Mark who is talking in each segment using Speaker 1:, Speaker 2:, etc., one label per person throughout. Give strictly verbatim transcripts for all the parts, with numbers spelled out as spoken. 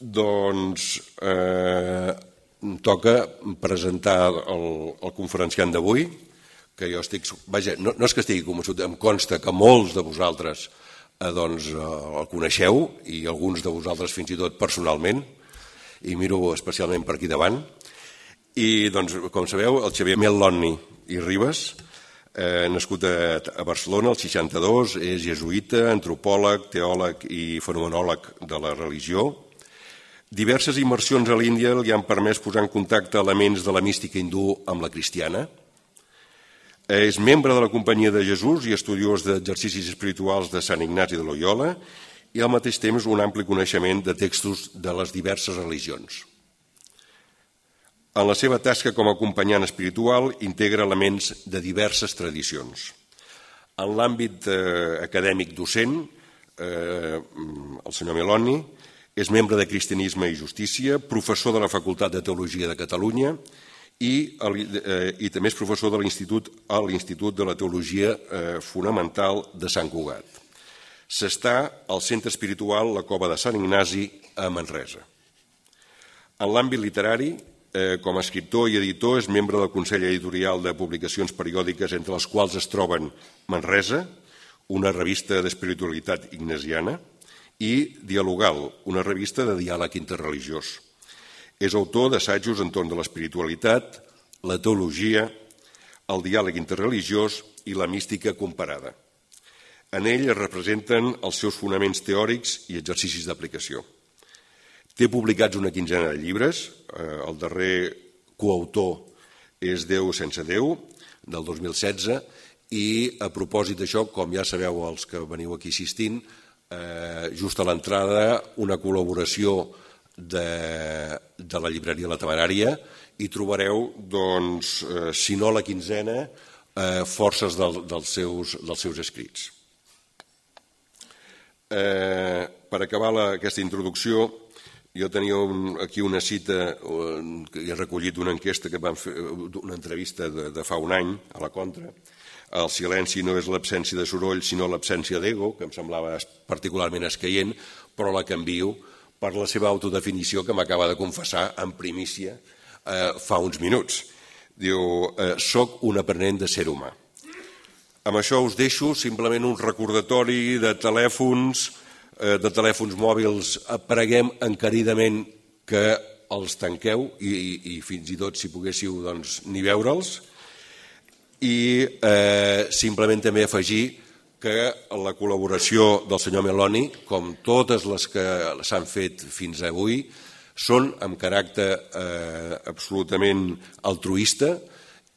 Speaker 1: doncs eh, toca presentar el, el conferenciant d'avui, que jo estic... Vaja, no, no és que estigui convençut, em consta que molts de vosaltres eh, doncs, eh, el coneixeu, i alguns de vosaltres fins i tot personalment, i miro especialment per aquí davant. I, doncs, com sabeu, el Xavier Melloni i Ribas, eh, nascut a, a Barcelona el seixanta-dos, és jesuïta, antropòleg, teòleg i fenomenòleg de la religió. Diverses immersions a l'Índia li han permès posar en contacte elements de la mística hindú amb la cristiana. És membre de la Companyia de Jesús i estudiós d'exercicis espirituals de Sant Ignasi de Loyola i al mateix temps un ampli coneixement de textos de les diverses religions. En la seva tasca com a acompanyant espiritual integra elements de diverses tradicions. En l'àmbit eh, acadèmic docent, eh, el senyor Melloni és membre de Cristianisme i Justícia, professor de la Facultat de Teologia de Catalunya i, eh, i també és professor de l'Institut a l'Institut de la Teologia eh, Fonamental de Sant Cugat. S'està al Centre Espiritual La Cova de Sant Ignasi a Manresa. En l'àmbit literari, eh, com a escriptor i editor, és membre del Consell Editorial de Publicacions Periòdiques, entre les quals es troben Manresa, una revista d'espiritualitat ignasiana, i Dialogal, una revista de diàleg interreligiós. És autor d'assajos entorn de l'espiritualitat, la teologia, el diàleg interreligiós i la mística comparada. En ell es representen els seus fonaments teòrics i exercicis d'aplicació. Té publicats una quinzena de llibres, el darrer coautor és Déu sense Déu, del dos mil setze, i a propòsit d'això, com ja sabeu els que veniu aquí assistint, just a l'entrada una col·laboració de, de la llibreria La Temerària i trobareu, doncs, si no la quinzena, forces del, dels, seus, dels seus escrits. Eh, per acabar la, aquesta introducció, jo tenia un, aquí una cita que he recollit d'una enquesta que vam fer, una entrevista de, de fa un any a la Contra. El silenci no és l'absència de soroll, sinó l'absència d'ego, que em semblava particularment escaient, però la canvio per la seva autodefinició que m'acaba de confessar en primícia eh, fa uns minuts. Diu, eh, soc un aprenent de ser humà. Amb això us deixo simplement un recordatori de telèfons, eh, de telèfons mòbils. Preguem encaridament que els tanqueu i, i, i fins i tot, si poguéssiu, doncs, ni veure'ls. I eh, simplement també afegir que la col·laboració del senyor Melloni, com totes les que s'han fet fins avui, són amb caràcter eh, absolutament altruista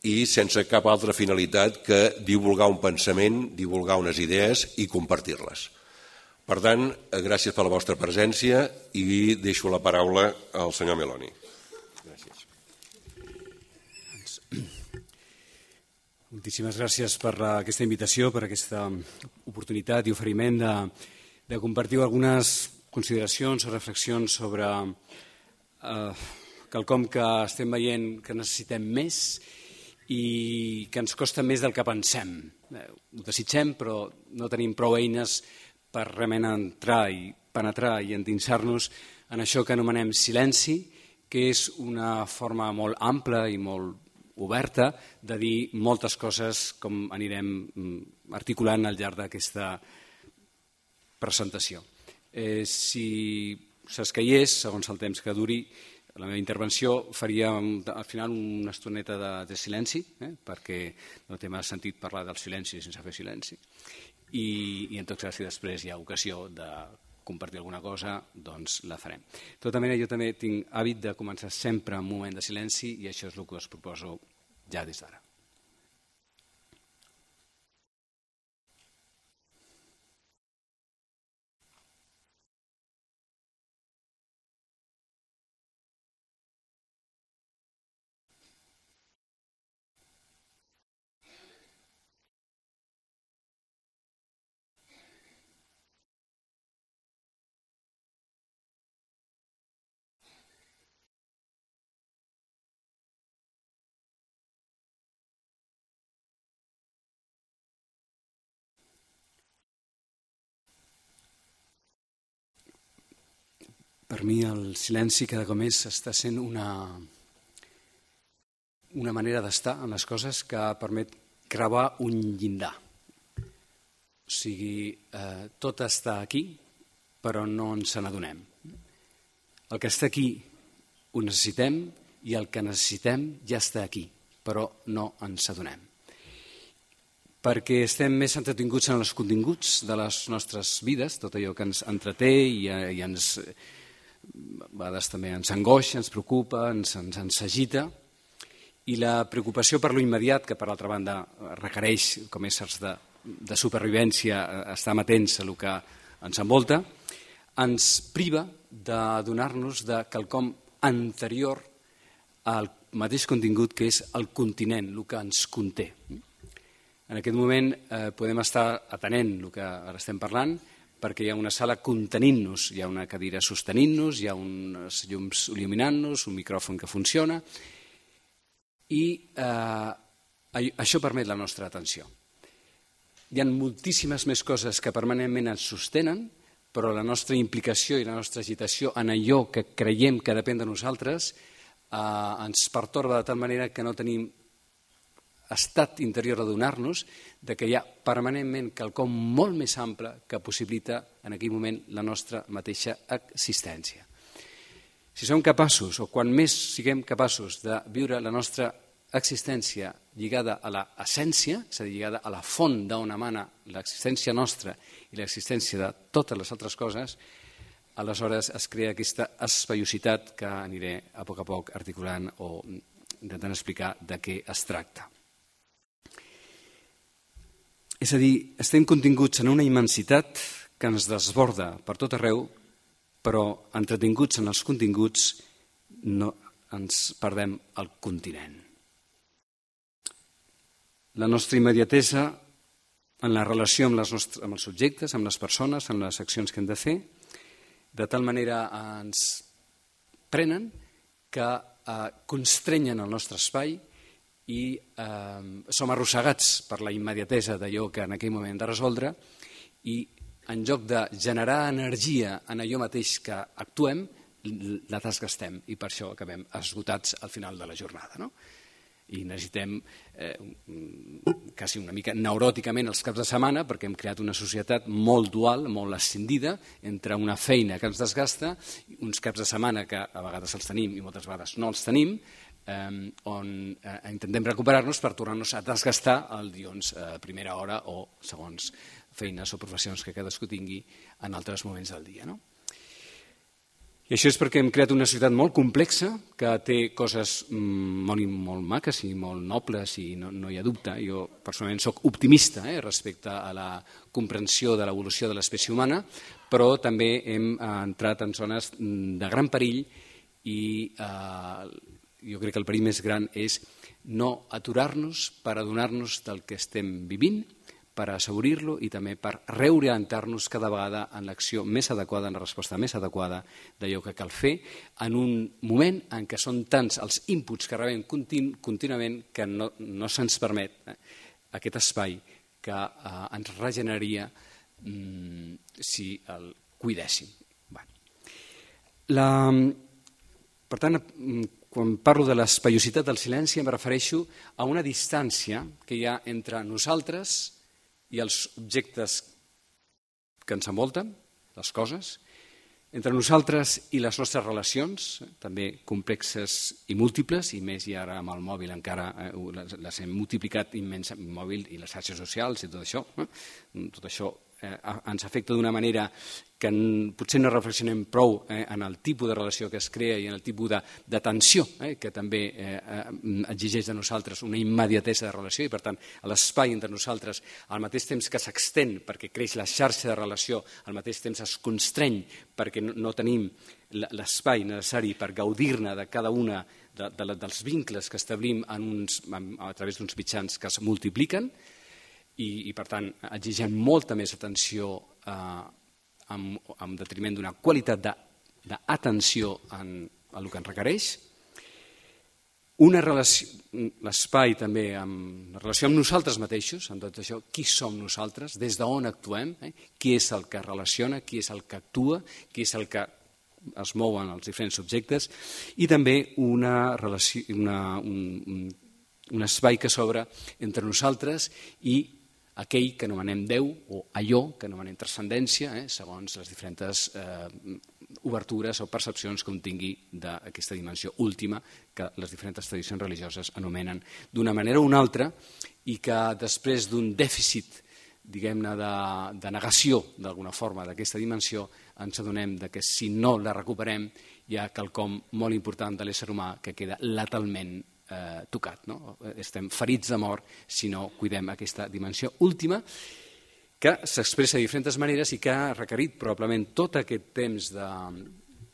Speaker 1: i sense cap altra finalitat que divulgar un pensament, divulgar unes idees i compartir-les. Per tant, gràcies per la vostra presència i deixo la paraula al senyor Melloni. Gràcies.
Speaker 2: Moltíssimes gràcies per aquesta invitació, per aquesta oportunitat i oferiment de, de compartir algunes consideracions o reflexions sobre eh, quelcom que estem veient que necessitem més i que ens costa més del que pensem. Eh, ho desitgem, però no tenim prou eines per realment entrar i penetrar i endinsar-nos en això que anomenem silenci, que és una forma molt ampla i molt oberta de dir moltes coses com anirem articulant al llarg d'aquesta presentació. Eh, si s'escaiés, segons el temps que duri, la meva intervenció faria al final una estoneta de, de silenci, eh, perquè no té massa sentit parlar del silenci sense fer silenci. I, i en tot cas, si després hi ha ocasió de compartir alguna cosa, doncs la farem. De tota manera, jo també tinc hàbit de començar sempre en un moment de silenci i això és el que us proposo ja des d'ara. Per mi el silenci cada cop més està sent una, una manera d'estar en les coses que permet gravar un llindar. O sigui, eh, tot està aquí, però no ens n'adonem. El que està aquí ho necessitem i el que necessitem ja està aquí, però no ens adonem. Perquè estem més entretinguts en els continguts de les nostres vides, tot allò que ens entreté i, i ens, a vegades també ens angoixa, ens preocupa, ens, ens, ens agita, i la preocupació per lo immediat, que per altra banda requereix, com éssers de, de supervivència, estar atents a el que ens envolta, ens priva d'adonar-nos de quelcom anterior al mateix contingut que és el continent, el que ens conté. En aquest moment eh, podem estar atenent el que ara estem parlant, perquè hi ha una sala contenint-nos, hi ha una cadira sostenint-nos, hi ha uns llums il·luminant-nos, un micròfon que funciona, i eh, això permet la nostra atenció. Hi ha moltíssimes més coses que permanentment ens sostenen, però la nostra implicació i la nostra agitació en allò que creiem que depèn de nosaltres eh, ens pertorba de tal manera que no tenim estat interior d'adonar-nos de que hi ha permanentment quelcom molt més ample que possibilita en aquell moment la nostra mateixa existència. Si som capaços, o quan més siguem capaços de viure la nostra existència lligada a l'essència, és a dir, lligada a la font d'on emana l'existència nostra i l'existència de totes les altres coses, aleshores es crea aquesta espaiositat que aniré a poc a poc articulant o intentant explicar de què es tracta. És a dir, estem continguts en una immensitat que ens desborda per tot arreu, però entretinguts en els continguts no ens perdem el continent. La nostra immediatesa en la relació amb, les nostres, amb els subjectes, amb les persones, amb les accions que hem de fer, de tal manera ens prenen que eh, constrenyen el nostre espai i eh, som arrossegats per la immediatesa d'allò que en aquell moment hem de resoldre i en lloc de generar energia en allò mateix que actuem, la desgastem i per això acabem esgotats al final de la jornada, no? I necessitem eh, quasi una mica neuròticament els caps de setmana perquè hem creat una societat molt dual, molt escindida entre una feina que ens desgasta, uns caps de setmana que a vegades els tenim i moltes vegades no els tenim, eh, on eh, intentem recuperar-nos per tornar-nos a desgastar el dilluns a primera hora o segons feines o professions que cadascú tingui en altres moments del dia, no? I això és perquè hem creat una societat molt complexa que té coses molt, molt maques i molt nobles i no, no hi ha dubte. Jo personalment soc optimista eh, respecte a la comprensió de l'evolució de l'espècie humana, però també hem eh, entrat en zones de gran perill i eh, jo crec que el perill més gran és no aturar-nos per adonar-nos del que estem vivint, per assaborir-lo i també per reorientar-nos cada vegada en l'acció més adequada, en la resposta més adequada d'allò que cal fer en un moment en què són tants els inputs que rebem continu, contínuament que no, no se'ns permet eh, aquest espai que eh, ens regeneraria mm, si el cuidéssim. Bueno. La, per tant, quan parlo de l'espaiositat del silenci em refereixo a una distància que hi ha entre nosaltres i els objectes que ens envolten, les coses, entre nosaltres i les nostres relacions, també complexes i múltiples, i més i ara amb el mòbil encara eh, les hem multiplicat immensament, el mòbil i les xarxes socials i tot això, eh? tot això eh, ens afecta d'una manera que potser no reflexionem prou eh, en el tipus de relació que es crea i en el tipus de, de tensió eh, que també eh, exigeix de nosaltres una immediatesa de relació i per tant l'espai entre nosaltres al mateix temps que s'extén perquè creix la xarxa de relació, al mateix temps es constreny perquè no, no tenim l'espai necessari per gaudir-ne de cada una de, de, dels vincles que establim en uns, a través d'uns mitjans que es multipliquen i, i per tant exigeixen molta més atenció eh, Amb, amb detriment d'una qualitat d'atenció en el que ens requereix. Una relació, l'espai també, amb la relació amb nosaltres mateixos, amb tot això, qui som nosaltres, des d'on actuem, eh? Qui és el que relaciona, qui és el que actua, qui és el que es mouen els diferents subjectes, i també una relació, una, un, un espai que s'obre entre nosaltres i aquell que anomenem Déu, o allò que anomenem transcendència, eh, segons les diferents eh, obertures o percepcions que un tingui d'aquesta dimensió última que les diferents tradicions religioses anomenen d'una manera o una altra, i que després d'un dèficit, diguem-ne, de, de negació d'alguna forma d'aquesta dimensió, ens adonem que si no la recuperem hi ha quelcom molt important de l'ésser humà que queda letalment eh, tocat, no? Estem ferits de mort si no cuidem aquesta dimensió última, que s'expressa de diferents maneres i que ha requerit probablement tot aquest temps de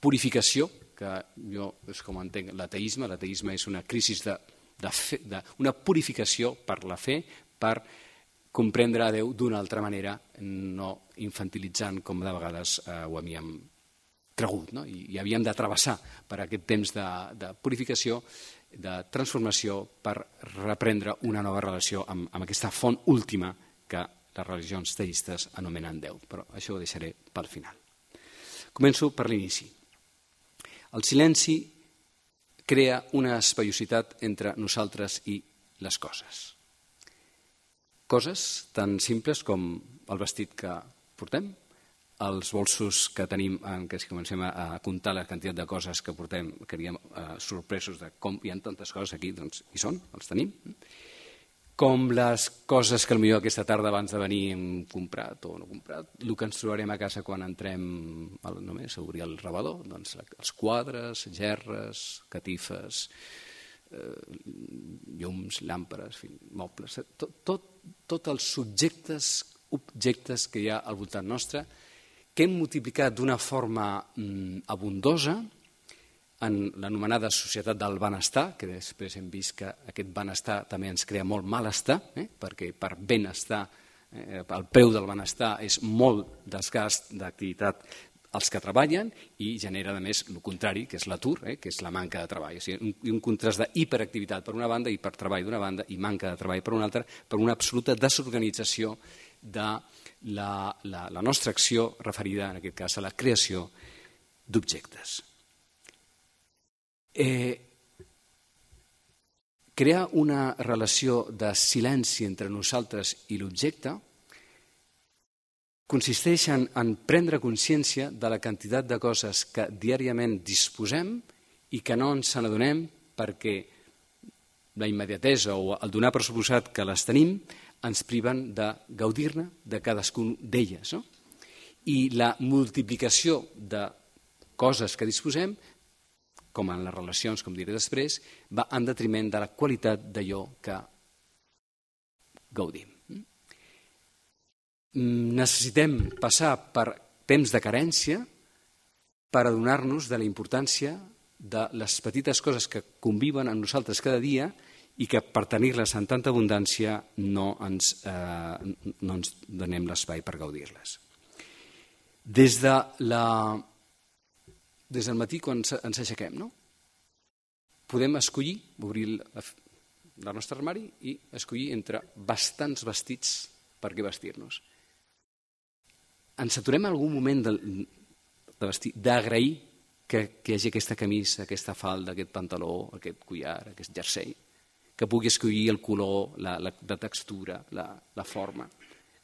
Speaker 2: purificació, que jo és com entenc l'ateisme. L'ateisme és una crisi de, de, fe, de una purificació per la fe, per comprendre a Déu d'una altra manera, no infantilitzant com de vegades eh, ho havíem cregut, no? I, i havíem de travessar per aquest temps de, de purificació, de transformació, per reprendre una nova relació amb, amb aquesta font última que les religions teistes anomenen Déu. Però això ho deixaré pel final. Començo per l'inici. El silenci crea una espaiositat entre nosaltres i les coses. Coses tan simples com el vestit que portem, els bolsos que tenim, en què si comencem a comptar la quantitat de coses que portem, quedaríem eh, sorpresos de com hi ha tantes coses aquí, doncs hi són, els tenim. Com les coses que potser aquesta tarda abans de venir hem comprat o no comprat, el que ens trobarem a casa quan entrem al, només a obrir el rebedor, doncs els quadres, gerres, catifes, eh, llums, làmperes, mobles, tot, tot, tots els subjectes, objectes que hi ha al voltant nostre, que hem multiplicat d'una forma mm, abundosa en l'anomenada societat del benestar, que després hem vist que aquest benestar també ens crea molt malestar, eh? perquè per benestar, eh, el preu del benestar és molt desgast d'activitat als que treballen i genera, a més, el contrari, que és l'atur, eh? que és la manca de treball. O sigui, un, un contrast d'hiperactivitat per una banda, hipertreball d'una banda i manca de treball per una altra, per una absoluta desorganització de la, la, la nostra acció referida, en aquest cas, a la creació d'objectes. Eh, crear una relació de silenci entre nosaltres i l'objecte consisteix en, en prendre consciència de la quantitat de coses que diàriament disposem i que no ens n'adonem perquè la immediatesa o el donar per suposat que les tenim ens priven de gaudir-ne de cadascun d'elles. No? I la multiplicació de coses que disposem, com en les relacions, com diré després, va en detriment de la qualitat d'allò que gaudim. Necessitem passar per temps de carència per adonar-nos de la importància de les petites coses que conviven amb nosaltres cada dia i que per tenir-les en tanta abundància no ens, eh, no ens donem l'espai per gaudir-les. Des de la Des del matí, quan ens aixequem, no? Podem escollir, obrir el nostre armari i escollir entre bastants vestits per què vestir-nos. Ens aturem en algun moment de, de vestir, d'agrair que, que hi hagi aquesta camisa, aquesta falda, aquest pantaló, aquest collar, aquest jersei, que pugui escollir el color, la, la, la textura, la, la forma,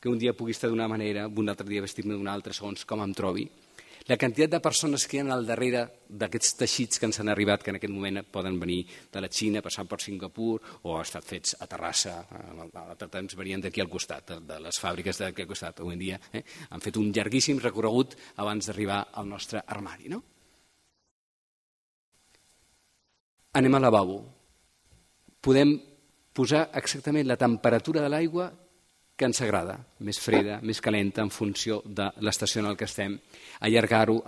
Speaker 2: que un dia pugui estar d'una manera, un altre dia vestir-me d'una altra, segons com em trobi. La quantitat de persones que hi ha al darrere d'aquests teixits que ens han arribat, que en aquest moment poden venir de la Xina, passant per Singapur, o han estat fets a Terrassa, a l'altre temps venien d'aquí al costat, de les fàbriques d'aquí al costat. Avui en dia eh, han fet un llarguíssim recorregut abans d'arribar al nostre armari. No? Anem al lavabo. Podem posar exactament la temperatura de l'aigua que ens agrada, més freda, més calenta, en funció de l'estació en què estem, allargar-ho,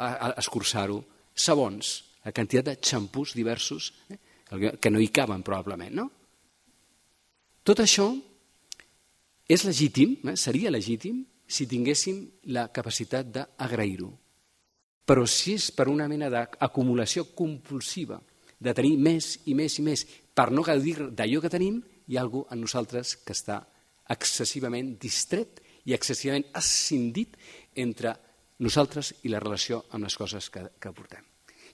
Speaker 2: escurçar-ho, sabons, la quantitat de xampús diversos, eh, que no hi caben probablement, no? Tot això és legítim, eh, seria legítim, si tinguéssim la capacitat d'agrair-ho. Però si és per una mena d'acumulació compulsiva, de tenir més i més i més, per no gaudir d'allò que tenim, hi ha alguna cosa en nosaltres que està excessivament distret i excessivament escindit entre nosaltres i la relació amb les coses que, que portem.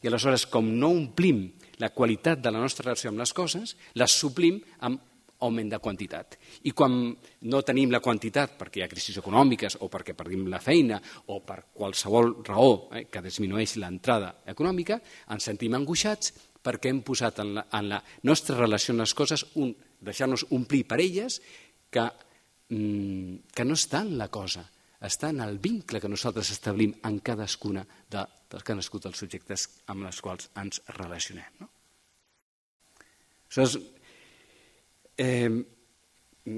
Speaker 2: i aleshores, com no omplim la qualitat de la nostra relació amb les coses, les suplim amb augment de quantitat. I quan no tenim la quantitat perquè hi ha crisis econòmiques o perquè perdim la feina o per qualsevol raó eh, que disminueix l'entrada econòmica, ens sentim angoixats perquè hem posat en la, en la nostra relació amb les coses un, deixar-nos omplir per elles que, mm, que no està en la cosa, està en el vincle que nosaltres establim en cadascuna de, de cadascun dels subjectes amb els quals ens relacionem. No? Aleshores, eh,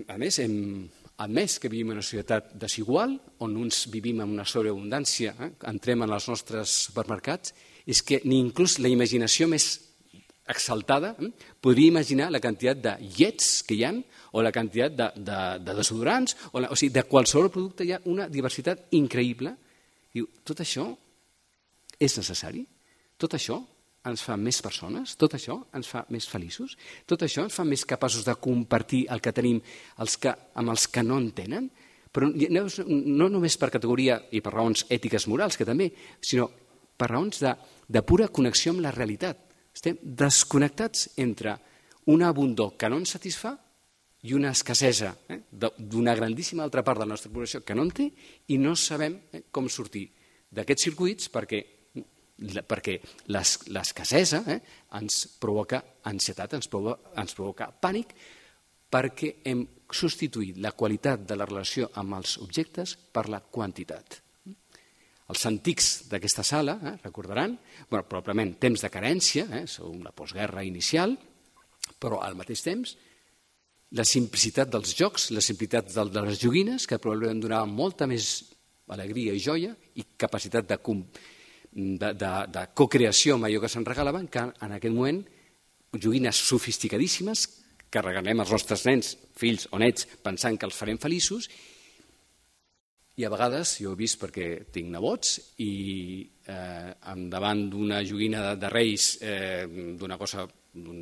Speaker 2: a més, hem admès que vivim en una societat desigual, on uns vivim en una sobreabundància, eh, entrem en els nostres supermercats, és que ni inclús la imaginació més exaltada eh, podria imaginar la quantitat de llets que hi ha o la quantitat de, de, de desodorants, o, la, o sigui, de qualsevol producte hi ha una diversitat increïble. Diu, tot això és necessari? Tot això ens fa més persones? Tot això ens fa més feliços? Tot això ens fa més capaços de compartir el que tenim els que, amb els que no en tenen? Però no, no només per categoria i per raons ètiques morals, que també, sinó per raons de, de pura connexió amb la realitat. Estem desconnectats entre una abundor que no ens satisfà i una escassesa eh, d'una grandíssima altra part de la nostra població que no en té i no sabem eh, com sortir d'aquests circuits perquè, perquè l'escassesa eh, ens provoca ansietat, ens provoca, ens provoca pànic, perquè hem substituït la qualitat de la relació amb els objectes per la quantitat. Els antics d'aquesta sala, eh, recordaran, bueno, probablement temps de carència, eh, segons la postguerra inicial, però al mateix temps la simplicitat dels jocs, la simplicitat de les joguines, que probablement donaven molta més alegria i joia i capacitat de, de, de, de co-creació amb allò que se'n regalaven, que en aquest moment joguines sofisticadíssimes que regalem als nostres nens, fills o nets, pensant que els farem feliços. I a vegades, jo he vist perquè tinc nebots i eh, davant d'una joguina de, de Reis eh, d'una cosa, d'un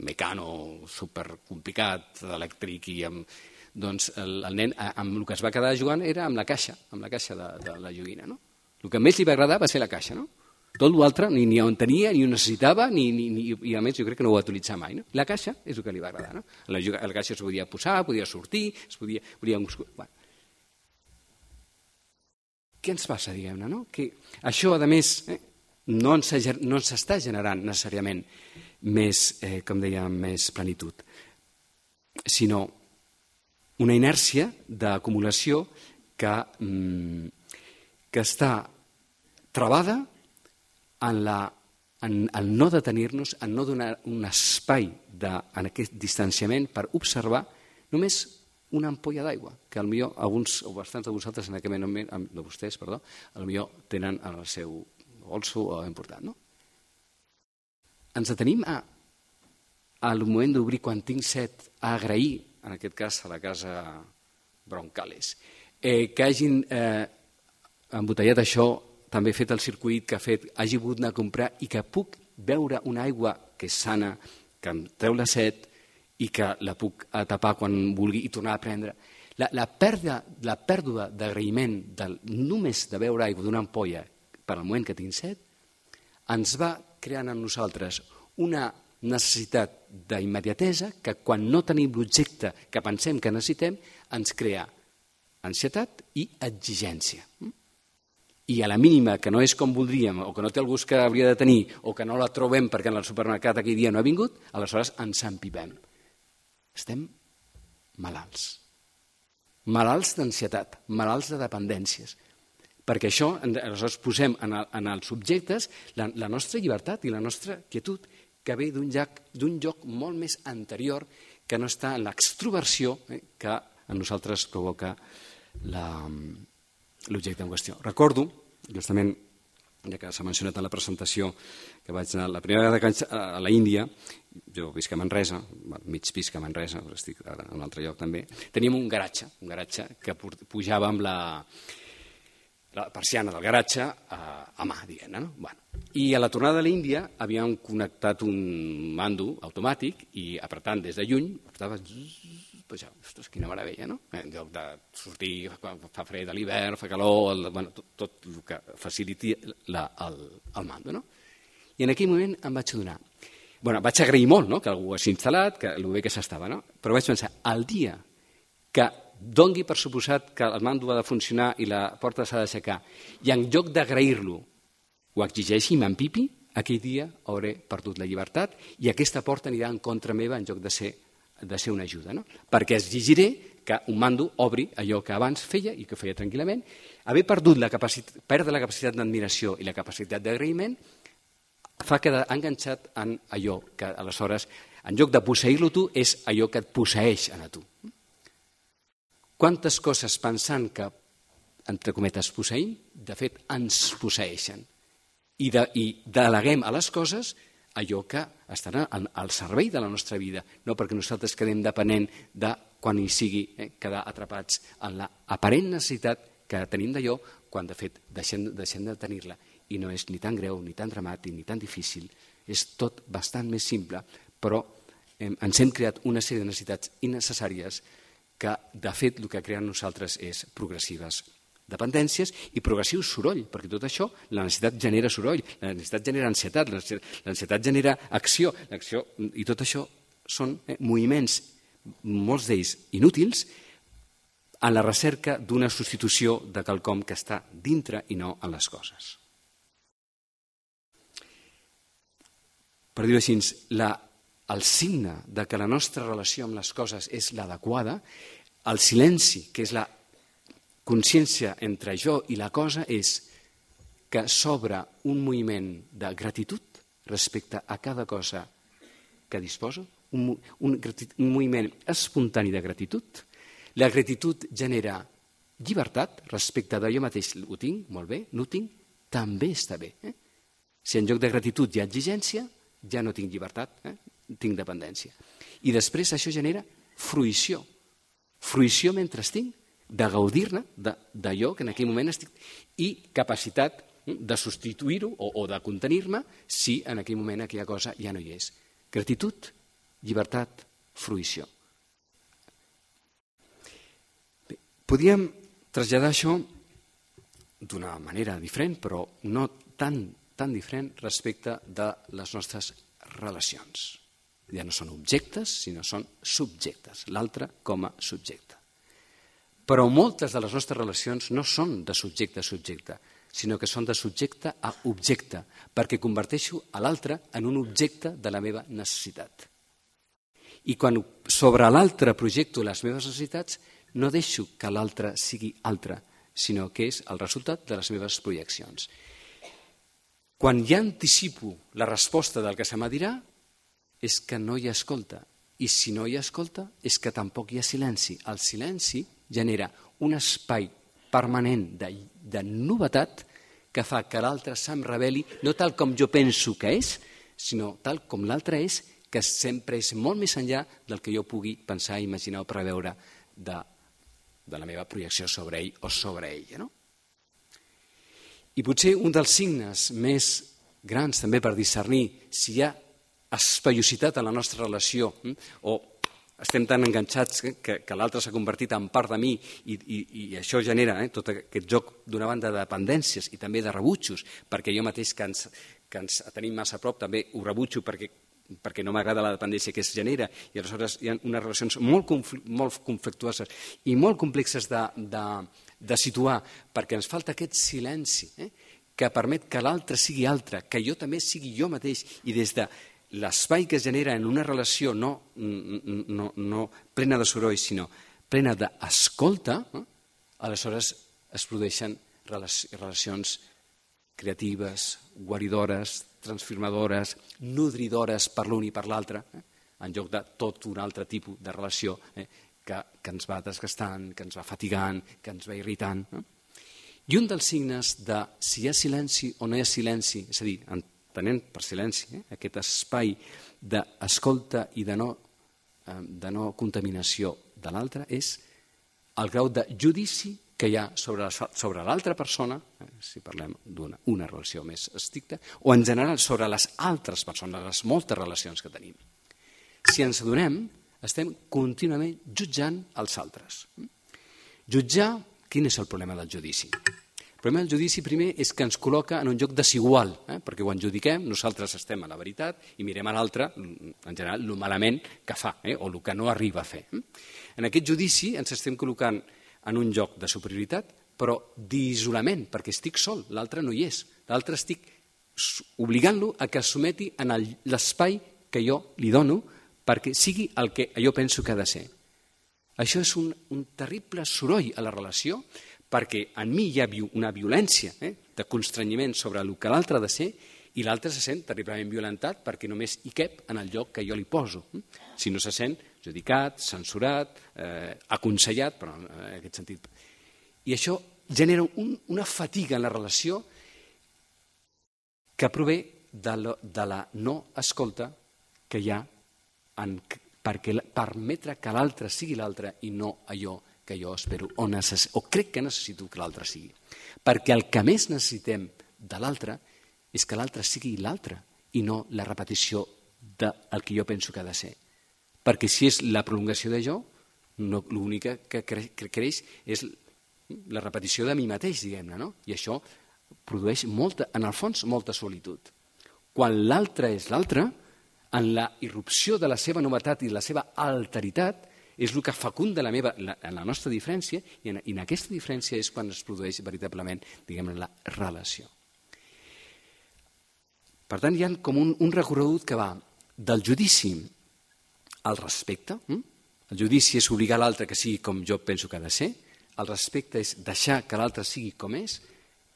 Speaker 2: mecano supercomplicat, elèctric, i amb, doncs el, el nen amb el que es va quedar jugant era amb la caixa, amb la caixa de, de la joguina. No? El que més li va agradar va ser la caixa. No? Tot l'altre ni, ni on tenia, ni ho necessitava, ni, ni, ni, i a més jo crec que no ho va utilitzar mai. No? La caixa és el que li va agradar. No? La, la caixa es podia posar, podia sortir, es podia... podia... Bueno. Què ens passa, diguem-ne? No? Que això, a més, eh, no ens, no ens està generant necessàriament més, eh, com dèiem, més plenitud, sinó una inèrcia d'acumulació que, mm, que està travada en, la, en el no detenir-nos, en no donar un espai de, en aquest distanciament per observar només una ampolla d'aigua, que potser alguns o bastants de vosaltres en aquest moment, de vostès, perdó, potser tenen en el seu bolso o important, no? Ens detenim a, al moment d'obrir quan tinc set, a agrair, en aquest cas a la casa Broncales, eh, que hagin eh, embotellat això, també fet el circuit que ha fet, hagi pogut anar a comprar i que puc beure una aigua que és sana, que em treu la set i que la puc tapar quan vulgui i tornar a prendre. La, la pèrdua, la pèrdua d'agraïment del, només de beure aigua d'una ampolla per al moment que tinc set ens va creant en nosaltres una necessitat d'immediatesa que quan no tenim l'objecte que pensem que necessitem ens crea ansietat i exigència. I a la mínima que no és com voldríem o que no té el gust que hauria de tenir o que no la trobem perquè en el supermercat aquell dia no ha vingut, aleshores ens empipem. Estem malalts. Malalts d'ansietat, malalts de dependències. Perquè això, aleshores, posem en, el, en els subjectes la, la nostra llibertat i la nostra quietud, que ve d'un lloc, d'un lloc molt més anterior, que no està en l'extroversió eh, que en nosaltres provoca l'objecte en qüestió. Recordo, justament, ja que s'ha mencionat en la presentació, que vaig anar la primera vegada que vaig a la Índia, jo visc a Manresa, mig visc a Manresa, però estic ara en un altre lloc també, teníem un garatge, un garatge que pujava amb la... la persiana del garatge a, a mà, diguem-ne. No? Bueno. I a la tornada de l'Índia havíem connectat un mando automàtic i apretant des de lluny, apretava, pues ja, ostres, quina meravella, no? En lloc de sortir, fa fred a l'hivern, fa calor, el, bueno, tot, tot el que faciliti la, el, el mando, no? I en aquell moment em vaig adonar. Bueno, vaig agrair molt, no?, que algú ho hagi instal·lat, que el bé que s'estava, no? Però vaig pensar, el dia que dongui per suposat que el mando ha de funcionar i la porta s'ha d'aixecar, i en lloc d'agrair-lo ho exigeixi i m'empipi, aquell dia hauré perdut la llibertat i aquesta porta anirà en contra meva en lloc de ser, de ser una ajuda. No? Perquè exigiré que un mando obri allò que abans feia i que feia tranquil·lament. Haver perdut la capacitat, perdre la capacitat d'admiració i la capacitat d'agraïment fa quedar enganxat en allò que aleshores, en lloc de posseir-lo tu, és allò que et posseeix a tu. Quantes coses pensant que, entre cometes, posseïm, de fet ens posseeixen. I, de, i deleguem a les coses allò que estarà al servei de la nostra vida, no perquè nosaltres quedem depenent de quan hi sigui eh, quedar atrapats en l'aparent necessitat que tenim d'allò quan de fet deixem, deixem de tenir-la i no és ni tan greu, ni tan dramàtic, ni tan difícil, és tot bastant més simple, però eh, ens hem creat una sèrie de necessitats innecessàries que de fet el que creen nosaltres és progressives dependències i progressiu soroll, perquè tot això, la necessitat genera soroll, la necessitat genera ansietat, l'ansietat genera acció, l'acció, i tot això són eh, moviments, molts d'ells inútils, en la recerca d'una substitució de quelcom que està dintre i no en les coses. Per dir-ho així, la, el signe de que la nostra relació amb les coses és l'adequada, el silenci, que és la consciència entre jo i la cosa, és que s'obre un moviment de gratitud respecte a cada cosa que disposo, un, un, un moviment espontani de gratitud. La gratitud genera llibertat respecte de jo mateix. Ho tinc, molt bé, no ho tinc, també està bé. Eh? Si en lloc de gratitud hi ha exigència, ja no tinc llibertat, eh? tinc dependència. I després això genera fruïció. Fruïció mentre tinc, de gaudir-ne d'allò que en aquell moment estic, i capacitat de substituir-ho o, o de contenir-me si en aquell moment aquella cosa ja no hi és. Gratitud, llibertat, fruïció. Bé, podríem traslladar això d'una manera diferent, però no tan, tan diferent respecte de les nostres relacions. Ja no són objectes, sinó són subjectes, l'altre com a subjecte. Però moltes de les nostres relacions no són de subjecte a subjecte, sinó que són de subjecte a objecte, perquè converteixo a l'altre en un objecte de la meva necessitat. I quan sobre l'altre projecto les meves necessitats, no deixo que l'altre sigui altre, sinó que és el resultat de les meves projeccions. Quan ja anticipo la resposta del que se m'ha dirà, és que no hi ha escolta. I si no hi ha escolta, és que tampoc hi ha silenci. El silenci genera un espai permanent de, de novetat que fa que l'altre se'm reveli no tal com jo penso que és, sinó tal com l'altre és, que sempre és molt més enllà del que jo pugui pensar, imaginar o preveure de, de la meva projecció sobre ell o sobre ella. No? I potser un dels signes més grans també per discernir si hi ha espaiositat en la nostra relació o estem tan enganxats que, que l'altre s'ha convertit en part de mi i, i, i això genera eh, tot aquest joc d'una banda de dependències i també de rebutjos, perquè jo mateix que ens, que ens tenim massa a prop també ho rebutjo perquè, perquè no m'agrada la dependència que es genera i aleshores hi ha unes relacions molt, confl molt conflictuoses i molt complexes de, de, de situar perquè ens falta aquest silenci eh, que permet que l'altre sigui altre, que jo també sigui jo mateix i des de l'espai que es genera en una relació no, no, no plena de soroll, sinó plena d'escolta, eh? aleshores es produeixen relacions creatives, guaridores, transformadores, nodridores per l'un i per l'altre, eh? en lloc de tot un altre tipus de relació eh? que, que ens va desgastant, que ens va fatigant, que ens va irritant. Eh? I un dels signes de si hi ha silenci o no hi ha silenci, és a dir, entenent per silenci, eh? aquest espai d'escolta i de no, eh, de no contaminació de l'altre, és el grau de judici que hi ha sobre, sobre l'altra persona, eh? si parlem d'una una relació més estricta, o en general sobre les altres persones, les moltes relacions que tenim. Si ens adonem, estem contínuament jutjant els altres. Jutjar, quin és el problema del judici? El problema del judici primer és que ens col·loca en un lloc desigual, eh? perquè quan judiquem nosaltres estem a la veritat i mirem a l'altre, en general, el malament que fa eh? o el que no arriba a fer. En aquest judici ens estem col·locant en un lloc de superioritat, però d'isolament, perquè estic sol, l'altre no hi és. L'altre estic obligant-lo a que es someti en l'espai que jo li dono perquè sigui el que jo penso que ha de ser. Això és un, un terrible soroll a la relació perquè en mi hi ha una violència eh, de constrenyiment sobre el que l'altre ha de ser i l'altre se sent terriblement violentat perquè només hi cap en el lloc que jo li poso. Si no se sent judicat, censurat, eh, aconsellat, però en aquest sentit. I això genera un, una fatiga en la relació que prové de, lo, de la no escolta que hi ha en, perquè permetre que l'altre sigui l'altre i no allò que jo espero o, necess, o crec que necessito que l'altre sigui. Perquè el que més necessitem de l'altre és que l'altre sigui l'altre i no la repetició del que jo penso que ha de ser. Perquè si és la prolongació de jo, no, l'únic que, cre, que creix és la repetició de mi mateix, diguem-ne, no? I això produeix, molta, en el fons, molta solitud. Quan l'altre és l'altre, en la irrupció de la seva novetat i la seva alteritat, és el que fecunda la, meva, la, la nostra diferència i en, i en aquesta diferència és quan es produeix veritablement, diguem-ne, la relació. Per tant, hi ha com un, un recorregut que va del judici al respecte. Hm? El judici és obligar l'altre que sigui com jo penso que ha de ser. El respecte és deixar que l'altre sigui com és,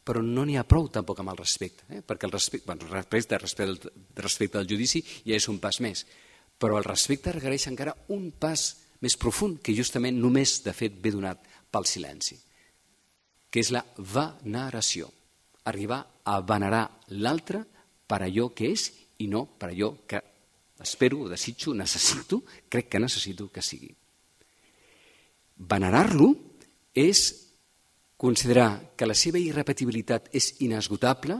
Speaker 2: però no n'hi ha prou tampoc amb el respecte, eh? perquè el respecte, bueno, respecte, respecte, respecte al judici ja és un pas més, però el respecte requereix encara un pas més profund, que justament només, de fet, ve donat pel silenci, que és la veneració, arribar a venerar l'altre per allò que és i no per allò que espero, desitjo, necessito, crec que necessito que sigui. Venerar-lo és considerar que la seva irrepetibilitat és inesgotable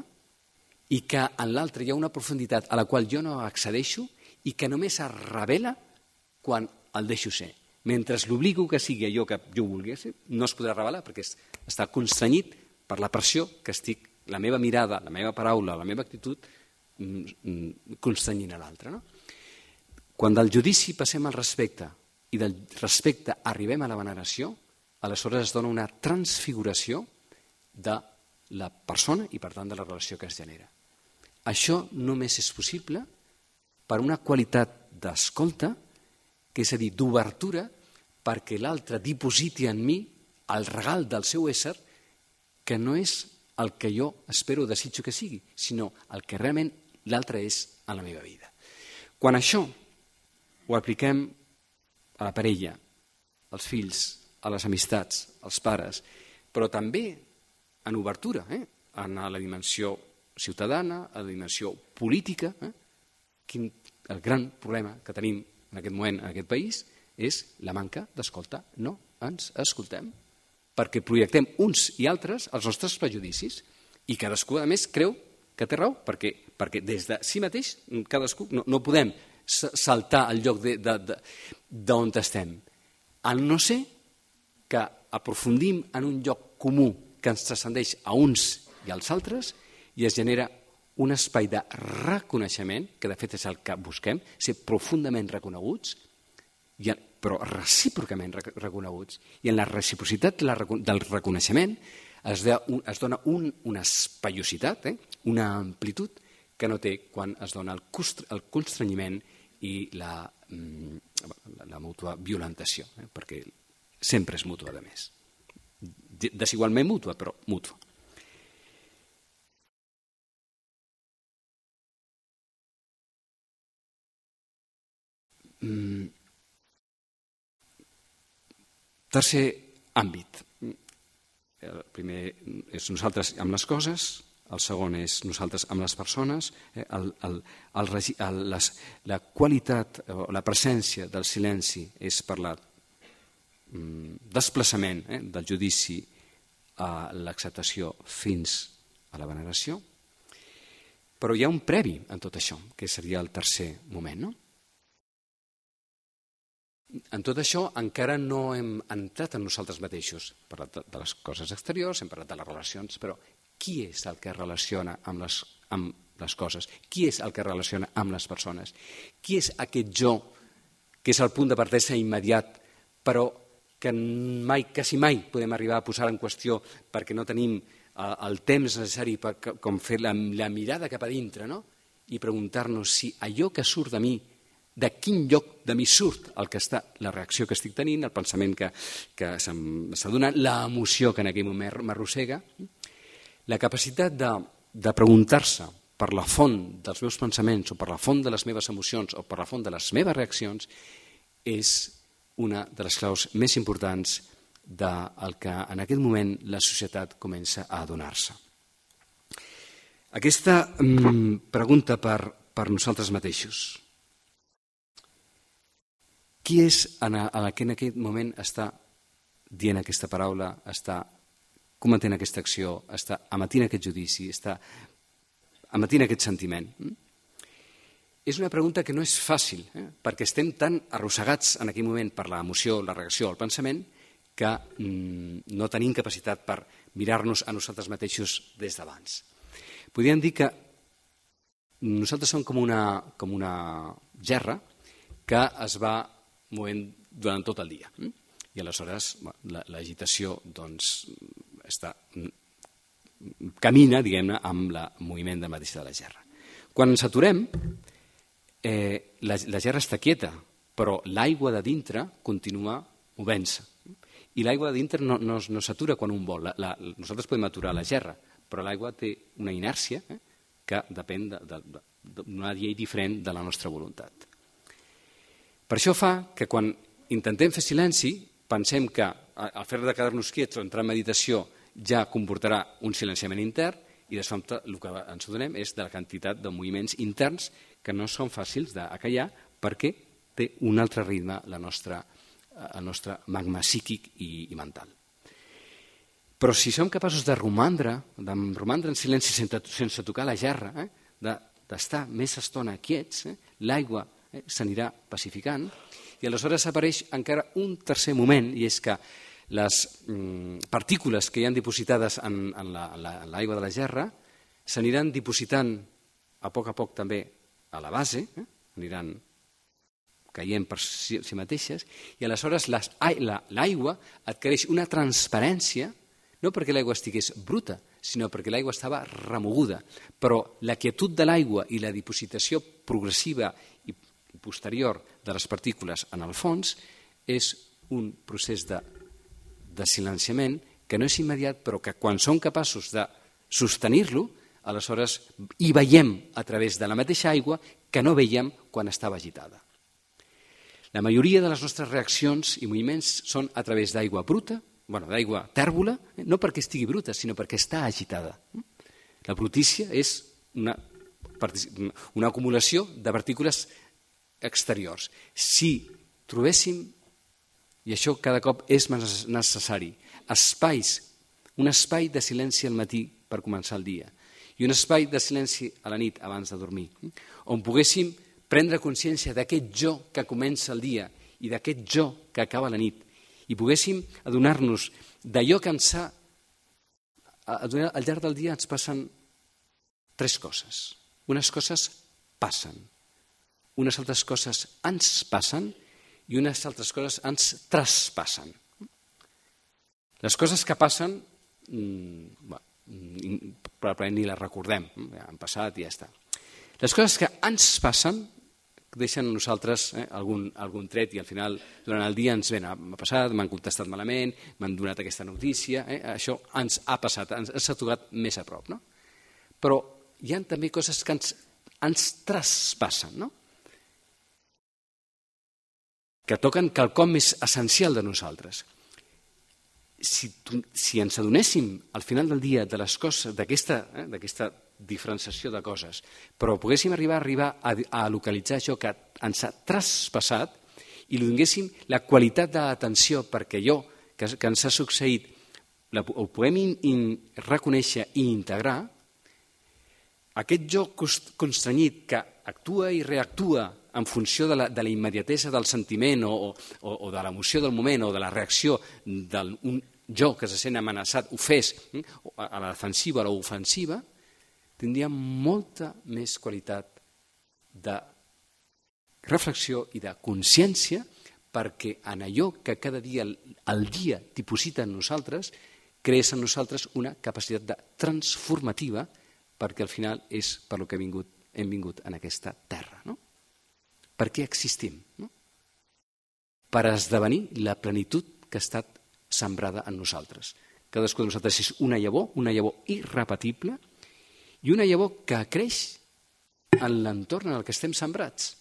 Speaker 2: i que en l'altre hi ha una profunditat a la qual jo no accedeixo i que només es revela quan el deixo ser. Mentre l'obligo que sigui allò que jo vulgui ser, no es podrà revelar perquè està constrenyit per la pressió que estic, la meva mirada, la meva paraula, la meva actitud, constrenyint a l'altre. No? Quan del judici passem al respecte i del respecte arribem a la veneració, aleshores es dona una transfiguració de la persona i, per tant, de la relació que es genera. Això només és possible per una qualitat d'escolta, que és a dir, d'obertura, perquè l'altre dipositi en mi el regal del seu ésser, que no és el que jo espero o desitjo que sigui, sinó el que realment l'altre és a la meva vida. Quan això ho apliquem a la parella, als fills, a les amistats, als pares, però també en obertura, eh? en la dimensió ciutadana, a la dimensió política. Eh? Quin, el gran problema que tenim en aquest moment en aquest país és la manca d'escolta. No ens escoltem, perquè projectem uns i altres els nostres prejudicis i cadascú, a més, creu que té raó, perquè, perquè des de si mateix cadascú no, no podem saltar al lloc d'on estem. Al no ser que aprofundim en un lloc comú que ens transcendeix a uns i als altres i es genera un espai de reconeixement, que de fet és el que busquem, ser profundament reconeguts, però recíprocament reconeguts. I en la reciprocitat del reconeixement es dona una espaiositat, eh? una amplitud que no té quan es dona el constrenyiment i la, la mútua violentació, eh? perquè sempre és mútua, a més. Desigualment mútua, però mútua. Mm. Tercer àmbit. El primer és nosaltres amb les coses, el segon és nosaltres amb les persones, el, el, el, el, les, la qualitat o la presència del silenci és per la desplaçament eh, del judici a l'acceptació fins a la veneració, però hi ha un previ en tot això, que seria el tercer moment, no? En tot això encara no hem entrat en nosaltres mateixos. Hem parlat de les coses exteriors, hem parlat de les relacions, però qui és el que relaciona amb les, amb les coses? Qui és el que relaciona amb les persones? Qui és aquest jo que és el punt de partida immediat, però que mai, quasi mai podem arribar a posar en qüestió perquè no tenim el temps necessari per com fer la, la mirada cap a dintre, no? I preguntar-nos si allò que surt de mi, de quin lloc de mi surt el que està, la reacció que estic tenint, el pensament que, que s'ha donat, l'emoció que en aquell moment m'arrossega, la capacitat de, de preguntar-se per la font dels meus pensaments o per la font de les meves emocions o per la font de les meves reaccions és una de les claus més importants del que en aquest moment la societat comença a adonar-se. Aquesta mm, pregunta per, per nosaltres mateixos. Qui és en el que en aquest moment està dient aquesta paraula, està cometent aquesta acció, està emetint aquest judici, està emetint aquest sentiment? És una pregunta que no és fàcil, eh? perquè estem tan arrossegats en aquell moment per l'emoció, la reacció, el pensament, que mm, no tenim capacitat per mirar-nos a nosaltres mateixos des d'abans. Podríem dir que nosaltres som com una, com una gerra que es va movent durant tot el dia. I aleshores l'agitació doncs, està, camina, diguem-ne, amb el moviment de mateix de la gerra. Quan ens aturem, eh, la, la gerra està quieta, però l'aigua de dintre continua movent-se. I l'aigua de dintre no, no, no s'atura quan un vol. La, la, nosaltres podem aturar la gerra, però l'aigua té una inèrcia eh, que depèn d'una de, de, de, llei diferent de la nostra voluntat. Per això fa que quan intentem fer silenci, pensem que el fet de quedar-nos quiets o entrar en meditació ja comportarà un silenciament intern i de sobte el que ens adonem és de la quantitat de moviments interns que no són fàcils d'acallar perquè té un altre ritme la nostra, el nostre magma psíquic i, i mental. Però si som capaços de romandre, de romandre en silenci sense, sense tocar la gerra, eh, d'estar més estona quiets, eh, l'aigua eh, s'anirà pacificant, i aleshores apareix encara un tercer moment, i és que les mm, partícules que hi han dipositades en, en l'aigua de la gerra s'aniran dipositant a poc a poc també a la base, eh, aniran caient per si, si mateixes, i aleshores l'aigua adquireix una transparència, no perquè l'aigua estigués bruta, sinó perquè l'aigua estava remoguda. Però la quietud de l'aigua i la dipositació progressiva i posterior de les partícules en el fons és un procés de, de silenciament que no és immediat, però que quan som capaços de sostenir-lo, aleshores hi veiem a través de la mateixa aigua que no veiem quan estava agitada. La majoria de les nostres reaccions i moviments són a través d'aigua bruta, bueno, d'aigua tèrbola, no perquè estigui bruta, sinó perquè està agitada. La brutícia és una, una acumulació de partícules exteriors. Si trobéssim, i això cada cop és més necessari, espais, un espai de silenci al matí per començar el dia i un espai de silenci a la nit abans de dormir, on poguéssim prendre consciència d'aquest jo que comença el dia i d'aquest jo que acaba la nit, i poguéssim adonar-nos d'allò que ens ha... Al llarg del dia ens passen tres coses. Unes coses passen, unes altres coses ens passen i unes altres coses ens traspassen. Les coses que passen, probablement ni les recordem, han passat i ja està. Les coses que ens passen deixen a nosaltres eh, algun, algun tret i al final durant el dia ens ven, m'ha passat, m'han contestat malament, m'han donat aquesta notícia, eh, això ens ha passat, ens, ens ha tocat més a prop. No? Però hi ha també coses que ens, ens traspassen, no? Que toquen quelcom més essencial de nosaltres. Si, si ens adonéssim al final del dia de les coses, d'aquesta eh, d'aquesta diferenciació de coses, però poguéssim arribar, arribar a, a localitzar això que ens ha traspassat i li donéssim la qualitat d'atenció perquè allò que, que ens ha succeït la, ho puguem in, in, reconèixer i integrar, aquest jo constranyit que actua i reactua en funció de la, de la immediatesa del sentiment o, o, o de l'emoció del moment o de la reacció d'un jo que se sent amenaçat ho fes a la defensiva o a l'ofensiva, tindria molta més qualitat de reflexió i de consciència, perquè en allò que cada dia el dia diposita en nosaltres, crees en nosaltres una capacitat de transformativa, perquè al final és per lo que hem vingut, hem vingut en aquesta terra. No? Per què existim? No? Per esdevenir la plenitud que ha estat sembrada en nosaltres. Cadascú de nosaltres és una llavor, una llavor irrepetible, i una llavor que creix en l'entorn en el que estem sembrats.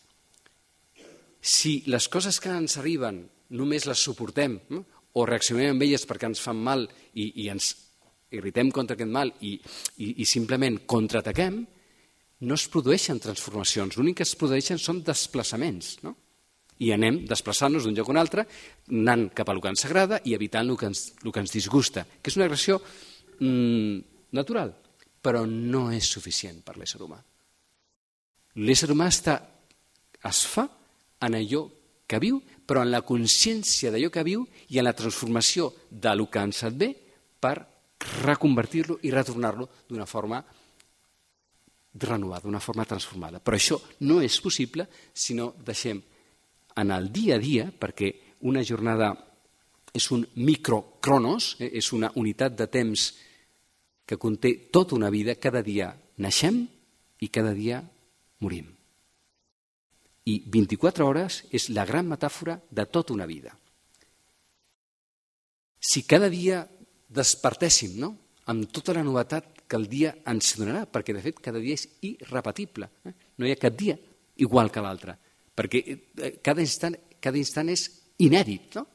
Speaker 2: Si les coses que ens arriben només les suportem, no? o reaccionem amb elles perquè ens fan mal i, i ens irritem contra aquest mal i, i, i simplement contraataquem, no es produeixen transformacions. L'únic que es produeixen són desplaçaments. No? I anem desplaçant-nos d'un lloc a un altre, anant cap a el que ens agrada i evitant el que ens, el que ens disgusta, que és una agressió mmm, natural, però no és suficient per l'ésser humà. L'ésser humà està, es fa en allò que viu, però en la consciència d'allò que viu i en la transformació del que ens et ve per reconvertir-lo i retornar-lo d'una forma renovada, d'una forma transformada. Però això no és possible si no deixem en el dia a dia, perquè una jornada és un microcronos, eh, és una unitat de temps que conté tota una vida, cada dia naixem i cada dia morim. I vint-i-quatre hores és la gran metàfora de tota una vida. Si cada dia despertéssim, no?, amb tota la novetat que el dia ens donarà, perquè de fet cada dia és irrepetible, eh? No hi ha cap dia igual que l'altre, perquè cada instant, cada instant és inèdit. No?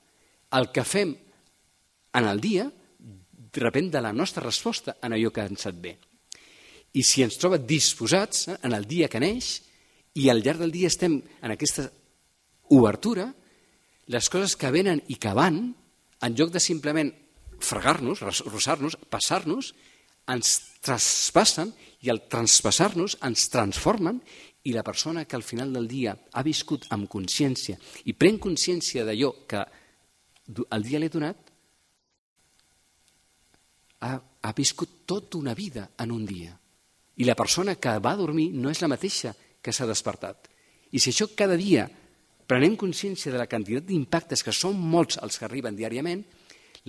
Speaker 2: El que fem en el dia depèn de la nostra resposta en allò que ens et ve. I si ens troba disposats eh, en el dia que neix, i al llarg del dia estem en aquesta obertura, les coses que venen i que van, en lloc de simplement fregar-nos, rossar-nos, passar-nos, ens traspassen i al traspassar-nos ens transformen i la persona que al final del dia ha viscut amb consciència i pren consciència d'allò que el dia l'he donat, ha, ha viscut tota una vida en un dia. I la persona que va dormir no és la mateixa que s'ha despertat. I si això cada dia prenem consciència de la quantitat d'impactes, que són molts els que arriben diàriament,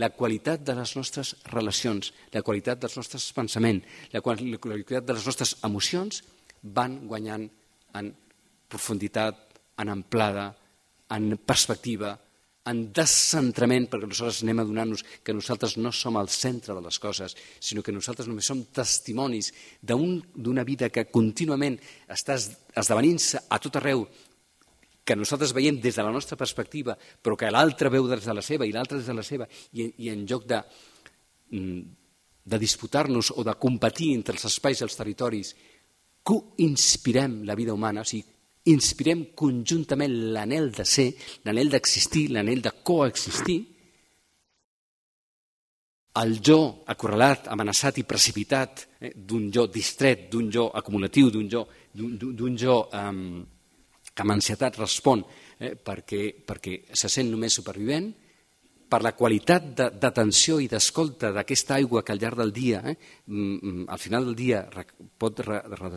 Speaker 2: la qualitat de les nostres relacions, la qualitat dels nostres pensaments, la qualitat de les nostres emocions van guanyant en profunditat, en amplada, en perspectiva, en descentrament, perquè nosaltres anem adonant-nos que nosaltres no som el centre de les coses, sinó que nosaltres només som testimonis d'una vida que contínuament està esdevenint-se a tot arreu, que nosaltres veiem des de la nostra perspectiva, però que l'altre veu des de la seva i l'altre des de la seva, i, i en lloc de, de disputar-nos o de competir entre els espais i els territoris, co-inspirem la vida humana, o sigui, inspirem conjuntament l'anhel de ser, l'anhel d'existir, l'anhel de coexistir, el jo acorralat, amenaçat i precipitat eh, d'un jo distret, d'un jo acumulatiu, d'un jo, d'un jo eh, que amb ansietat respon eh, perquè, perquè se sent només supervivent, per la qualitat d'atenció i d'escolta d'aquesta aigua que al llarg del dia, eh, al final del dia pot re, re,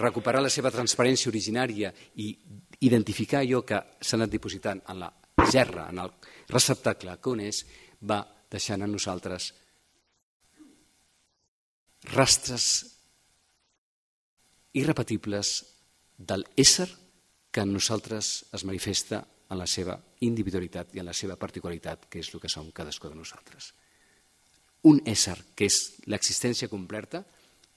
Speaker 2: recuperar la seva transparència originària i identificar allò que s'ha anat dipositant en la gerra, en el receptacle que on és, va deixant a nosaltres rastres irrepetibles de l'ésser que en nosaltres es manifesta en la seva individualitat i en la seva particularitat, que és el que som cadascú de nosaltres. Un ésser que és l'existència completa,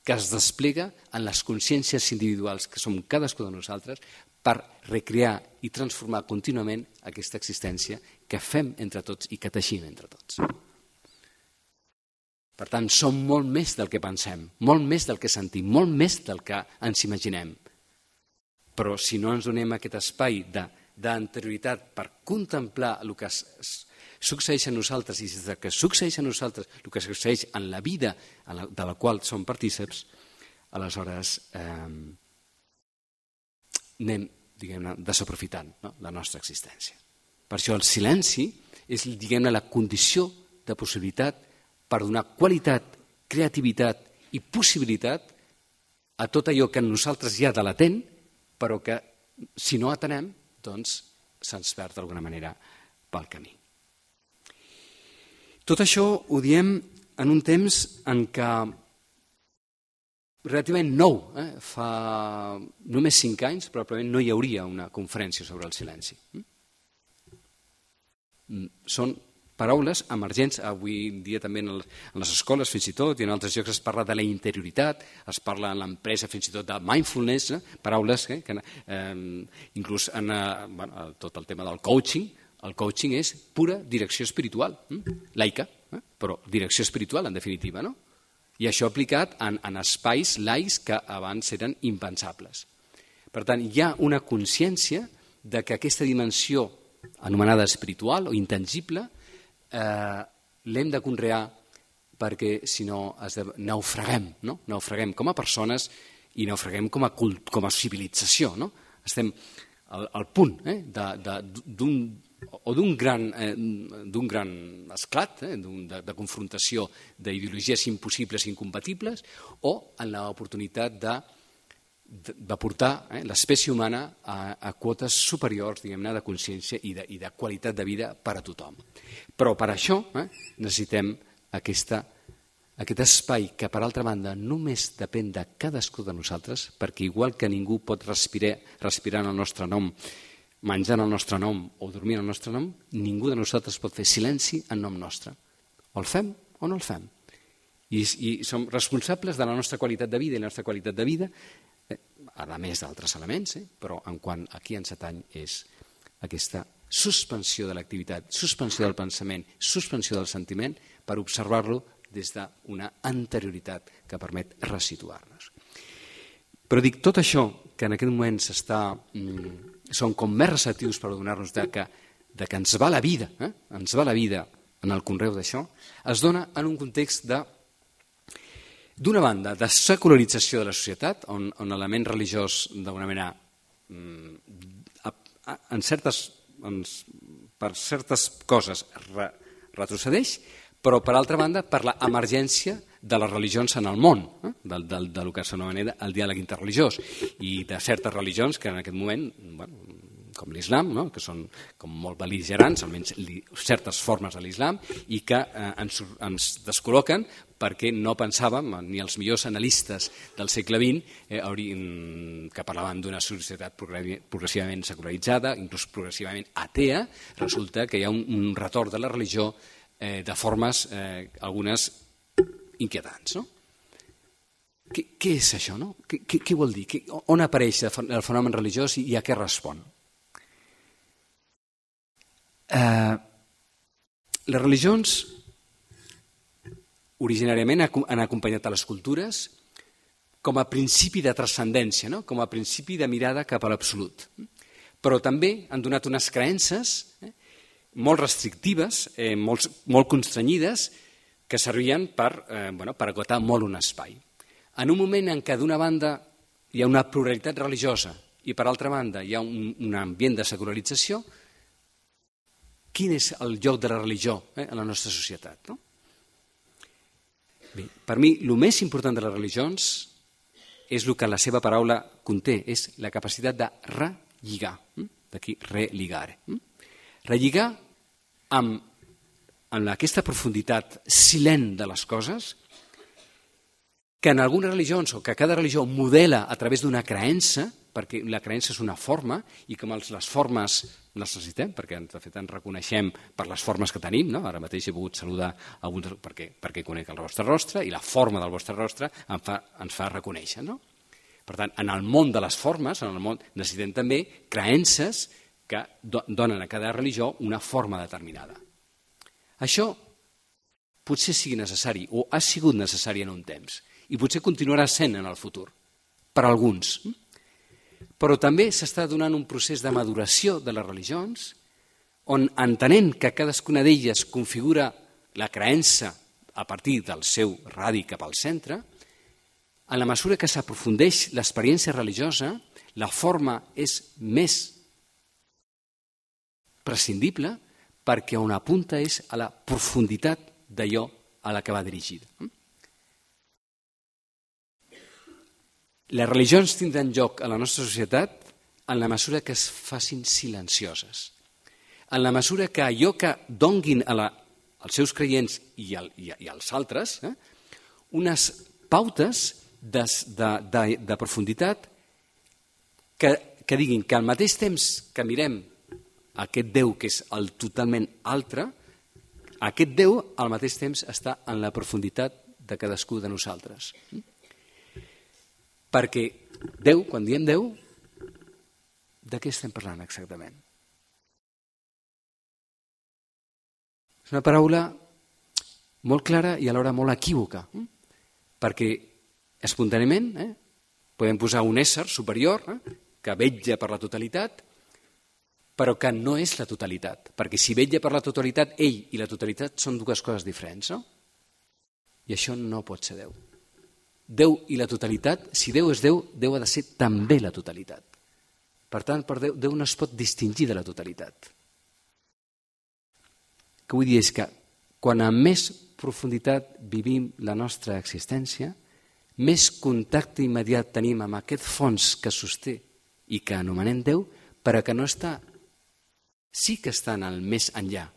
Speaker 2: que es desplega en les consciències individuals que som cadascú de nosaltres per recrear i transformar contínuament aquesta existència que fem entre tots i que teixim entre tots. Per tant, som molt més del que pensem, molt més del que sentim, molt més del que ens imaginem. Però si no ens donem aquest espai de d'anterioritat per contemplar el que succeeix a nosaltres i des que succeeix a nosaltres el que succeeix en la vida de la qual som partíceps, aleshores eh, anem diguem-ne, desaprofitant, no?, la nostra existència. Per això el silenci és, diguem-ne, la condició de possibilitat per donar qualitat, creativitat i possibilitat a tot allò que en nosaltres hi ha de latent, però que, si no atenem, doncs se'ns perd d'alguna manera pel camí. Tot això ho diem en un temps en què relativament nou, eh? fa només cinc anys, probablement no hi hauria una conferència sobre el silenci. Són paraules emergents, avui en dia també en les escoles fins i tot, i en altres llocs es parla de la interioritat, es parla en l'empresa fins i tot de mindfulness, eh? paraules eh? que eh, inclús en eh, bueno, tot el tema del coaching. El coaching és pura direcció espiritual, hm? laica, eh? però direcció espiritual en definitiva, no? I això aplicat en, en espais laics que abans eren impensables. Per tant, hi ha una consciència de que aquesta dimensió anomenada espiritual o intangible eh, l'hem de conrear perquè si no es de, naufraguem, no? naufraguem com a persones i naufraguem com a, cult, com a civilització. No? Estem al, al punt eh, d'un o d'un gran, eh, d'un gran esclat, eh, de, de confrontació d'ideologies impossibles i incompatibles, o en l'oportunitat de, de, de portar eh, l'espècie humana a, a quotes superiors, diguem-ne, de consciència i de, i de qualitat de vida per a tothom. Però per això eh, necessitem aquesta, aquest espai que, per altra banda, només depèn de cadascú de nosaltres, perquè igual que ningú pot respirar, respirar en el nostre nom, menjant el nostre nom o dormint el nostre nom, ningú de nosaltres pot fer silenci en nom nostre. O el fem o no el fem. I, i som responsables de la nostra qualitat de vida i la nostra qualitat de vida, eh, a més d'altres elements, eh, però en quant aquí ens atany és aquesta suspensió de l'activitat, suspensió del pensament, suspensió del sentiment, per observar-lo des d'una anterioritat que permet resituar-nos. Però dic, tot això que en aquest moment s'està... Mm, són com més receptius per donar-nos de que, de que ens va la vida, eh? ens va la vida en el conreu d'això, es dona en un context de, d'una banda, de secularització de la societat, on, on l'element religiós, d'alguna manera, en certes, en, per certes coses re, retrocedeix, però, per altra banda, per l'emergència de les religions en el món, eh? del, del, del que s'anomena el diàleg interreligiós, i de certes religions que en aquest moment, bueno, com l'islam, no? que són com molt bel·ligerants, almenys li, certes formes de l'islam, i que eh, ens, ens descol·loquen perquè no pensàvem, ni els millors analistes del segle vint, eh, haurien, que parlaven d'una societat progressivament secularitzada, inclús progressivament atea, resulta que hi ha un, un retorn de la religió eh, de formes, eh, algunes inquietants. No? Què, què és això? No? Què, què, què vol dir? Què, on apareix el fenomen religiós i a què respon? Eh, les religions originàriament han acompanyat a les cultures com a principi de transcendència, no? com a principi de mirada cap a l'absolut. Però també han donat unes creences eh, molt restrictives, eh, molt, molt constrenyides, que servien per, eh, bueno, per agotar molt un espai. En un moment en què d'una banda hi ha una pluralitat religiosa i per altra banda hi ha un, un ambient de secularització, quin és el lloc de la religió eh, en la nostra societat? No? Bé, per mi, el més important de les religions és el que la seva paraula conté, és la capacitat de relligar, d'aquí religare. Relligar amb en aquesta profunditat silent de les coses, que en algunes religions, o que cada religió modela a través d'una creença, perquè la creença és una forma, i com les formes les necessitem, perquè de fet ens reconeixem per les formes que tenim, no? Ara mateix he pogut saludar alguns perquè, perquè conec el vostre rostre, i la forma del vostre rostre em fa, ens fa reconèixer. No? Per tant, en el món de les formes, en el món, necessitem també creences que donen a cada religió una forma determinada. Això potser sigui necessari o ha sigut necessari en un temps i potser continuarà sent en el futur, per alguns. Però també s'està donant un procés de maduració de les religions on, entenent que cadascuna d'elles configura la creença a partir del seu radi cap al centre, en la mesura que s'aprofundeix l'experiència religiosa, La forma és més prescindible perquè on apunta és a la profunditat d'allò a la que va dirigida. Les religions tindran lloc a la nostra societat en la mesura que es facin silencioses, en la mesura que allò que donguin a la, als seus creients i, al, i, i als altres eh, unes pautes de, de, de, de profunditat que, que diguin que al mateix temps que mirem aquest Déu que és el totalment altre, aquest Déu al mateix temps està en la profunditat de cadascú de nosaltres. Perquè Déu, quan diem Déu, de què estem parlant exactament? És una paraula molt clara i alhora molt equívoca, perquè espontàniament eh, podem posar un ésser superior eh, que vetlla per la totalitat, però que no és la totalitat, perquè si vetlla per la totalitat, ell i la totalitat són dues coses diferents, no? I això no pot ser Déu. Déu i la totalitat, si Déu és Déu, Déu ha de ser també la totalitat. Per tant, per Déu, Déu no es pot distingir de la totalitat. El que vull dir és que quan a més profunditat vivim la nostra existència, més contacte immediat tenim amb aquest fons que sosté i que anomenem Déu, però que no està, sí que està en el més enllà,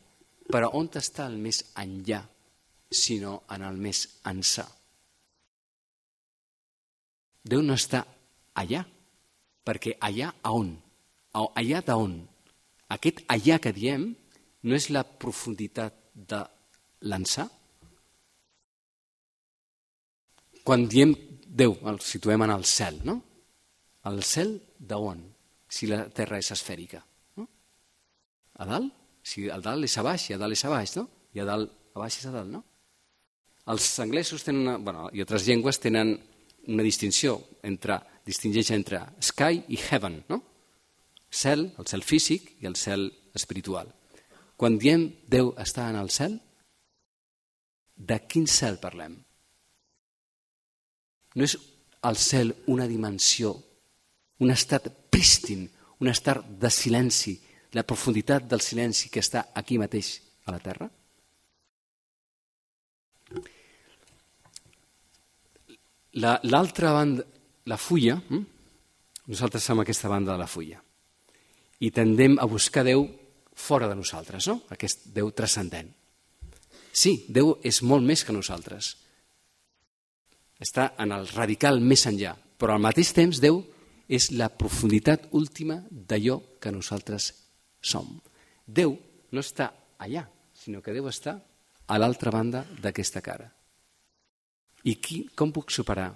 Speaker 2: però on està el més enllà, sinó en el més ençà. Déu no està allà, perquè allà a on? Allà d'on? Aquest allà que diem no és la profunditat de l'ençà? Quan diem Déu, el situem en el cel, no? El cel d'on? Si la Terra és esfèrica. No? A dalt? Si a dalt és a baix, i a dalt és a baix, no? I a dalt, a baix és a dalt, no? Els anglesos tenen una, bueno, i altres llengües tenen una distinció entre, distingeix entre sky i heaven, no? Cel, el cel físic i el cel espiritual. Quan diem Déu està en el cel, de quin cel parlem? No és el cel una dimensió, un estat prístin, un estat de silenci, la profunditat del silenci que està aquí mateix a la Terra? L'altra banda, la fulla, nosaltres som aquesta banda de la fulla i tendem a buscar Déu fora de nosaltres, no? Aquest Déu transcendent. Sí, Déu és molt més que nosaltres. Està en el radical més enllà, però al mateix temps Déu és la profunditat última d'allò que nosaltres som. Déu no està allà, sinó que Déu està a l'altra banda d'aquesta cara. I qui, com puc separar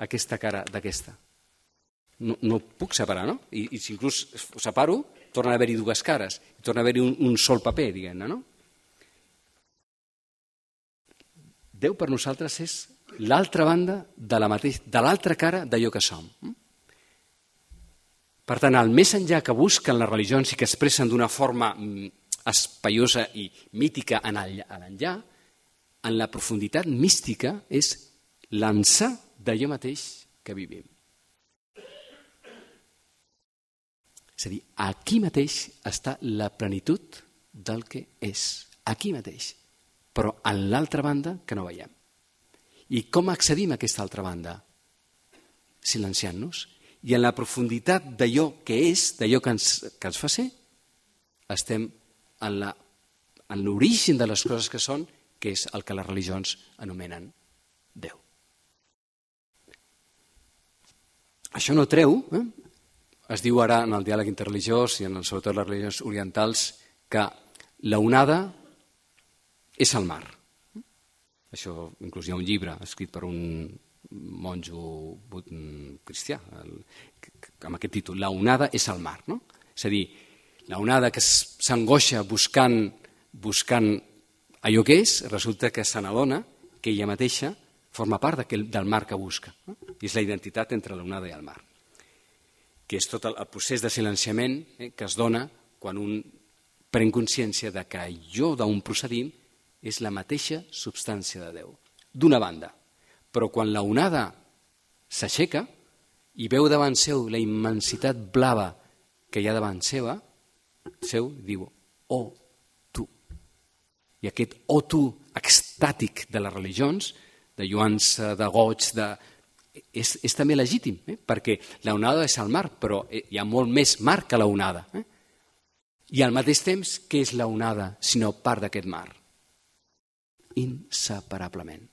Speaker 2: aquesta cara d'aquesta? No, no puc separar, no? I, i si inclús separo, torna a haver-hi dues cares, torna a haver-hi un, un sol paper, diguem-ne, no? Déu per nosaltres és l'altra banda de la mateix, de l'altra cara d'allò que som. Per tant, el més enllà que busquen les religions i que expressen d'una forma espaiosa i mítica en l'enllà, en la profunditat mística és l'ençà d'allò mateix que vivim. És a dir, aquí mateix està la plenitud del que és, aquí mateix, però en l'altra banda que no veiem. I com accedim a aquesta altra banda? Silenciant-nos. I en la profunditat d'allò que és, d'allò que ens, que ens fa ser, estem en la, en l'origen de les coses que són, que és el que les religions anomenen Déu. Això no treu, eh? Es diu ara en el diàleg interreligiós i en, sobretot les religions orientals que la onada és el mar. Això inclús hi ha un llibre escrit per un monjo cristià amb aquest títol, la onada és el mar. No? És a dir, la onada que s'angoixa buscant, buscant allò que és, resulta que se n'adona que ella mateixa forma part del mar que busca. No? I és la identitat entre l'onada i el mar, que és tot el procés de silenciament eh, que es dona quan un pren consciència de que allò d'on procedim és la mateixa substància de Déu, d'una banda. Però quan la onada s'aixeca, i veu davant seu la immensitat blava que hi ha davant seva, seu, diu, oh, tu. I aquest oh, tu extàtic de les religions, de lluança, de goig, de... és, és també legítim, eh? Perquè l'onada és el mar, però hi ha molt més mar que l'onada. Eh? I al mateix temps, què és l'onada, sinó part d'aquest mar? Inseparablement.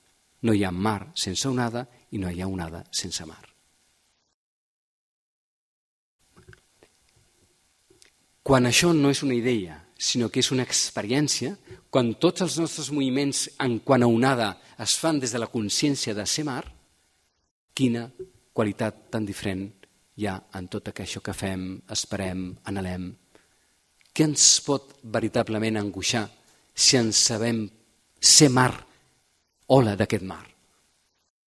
Speaker 2: No hi ha mar sense onada i no hi ha onada sense mar. Quan això no és una idea, sinó que és una experiència, quan tots els nostres moviments en quant a onada es fan des de la consciència de ser mar, quina qualitat tan diferent hi ha en tot això que fem, esperem, anhelem. Què ens pot veritablement angoixar si ens sabem ser mar, ola d'aquest mar?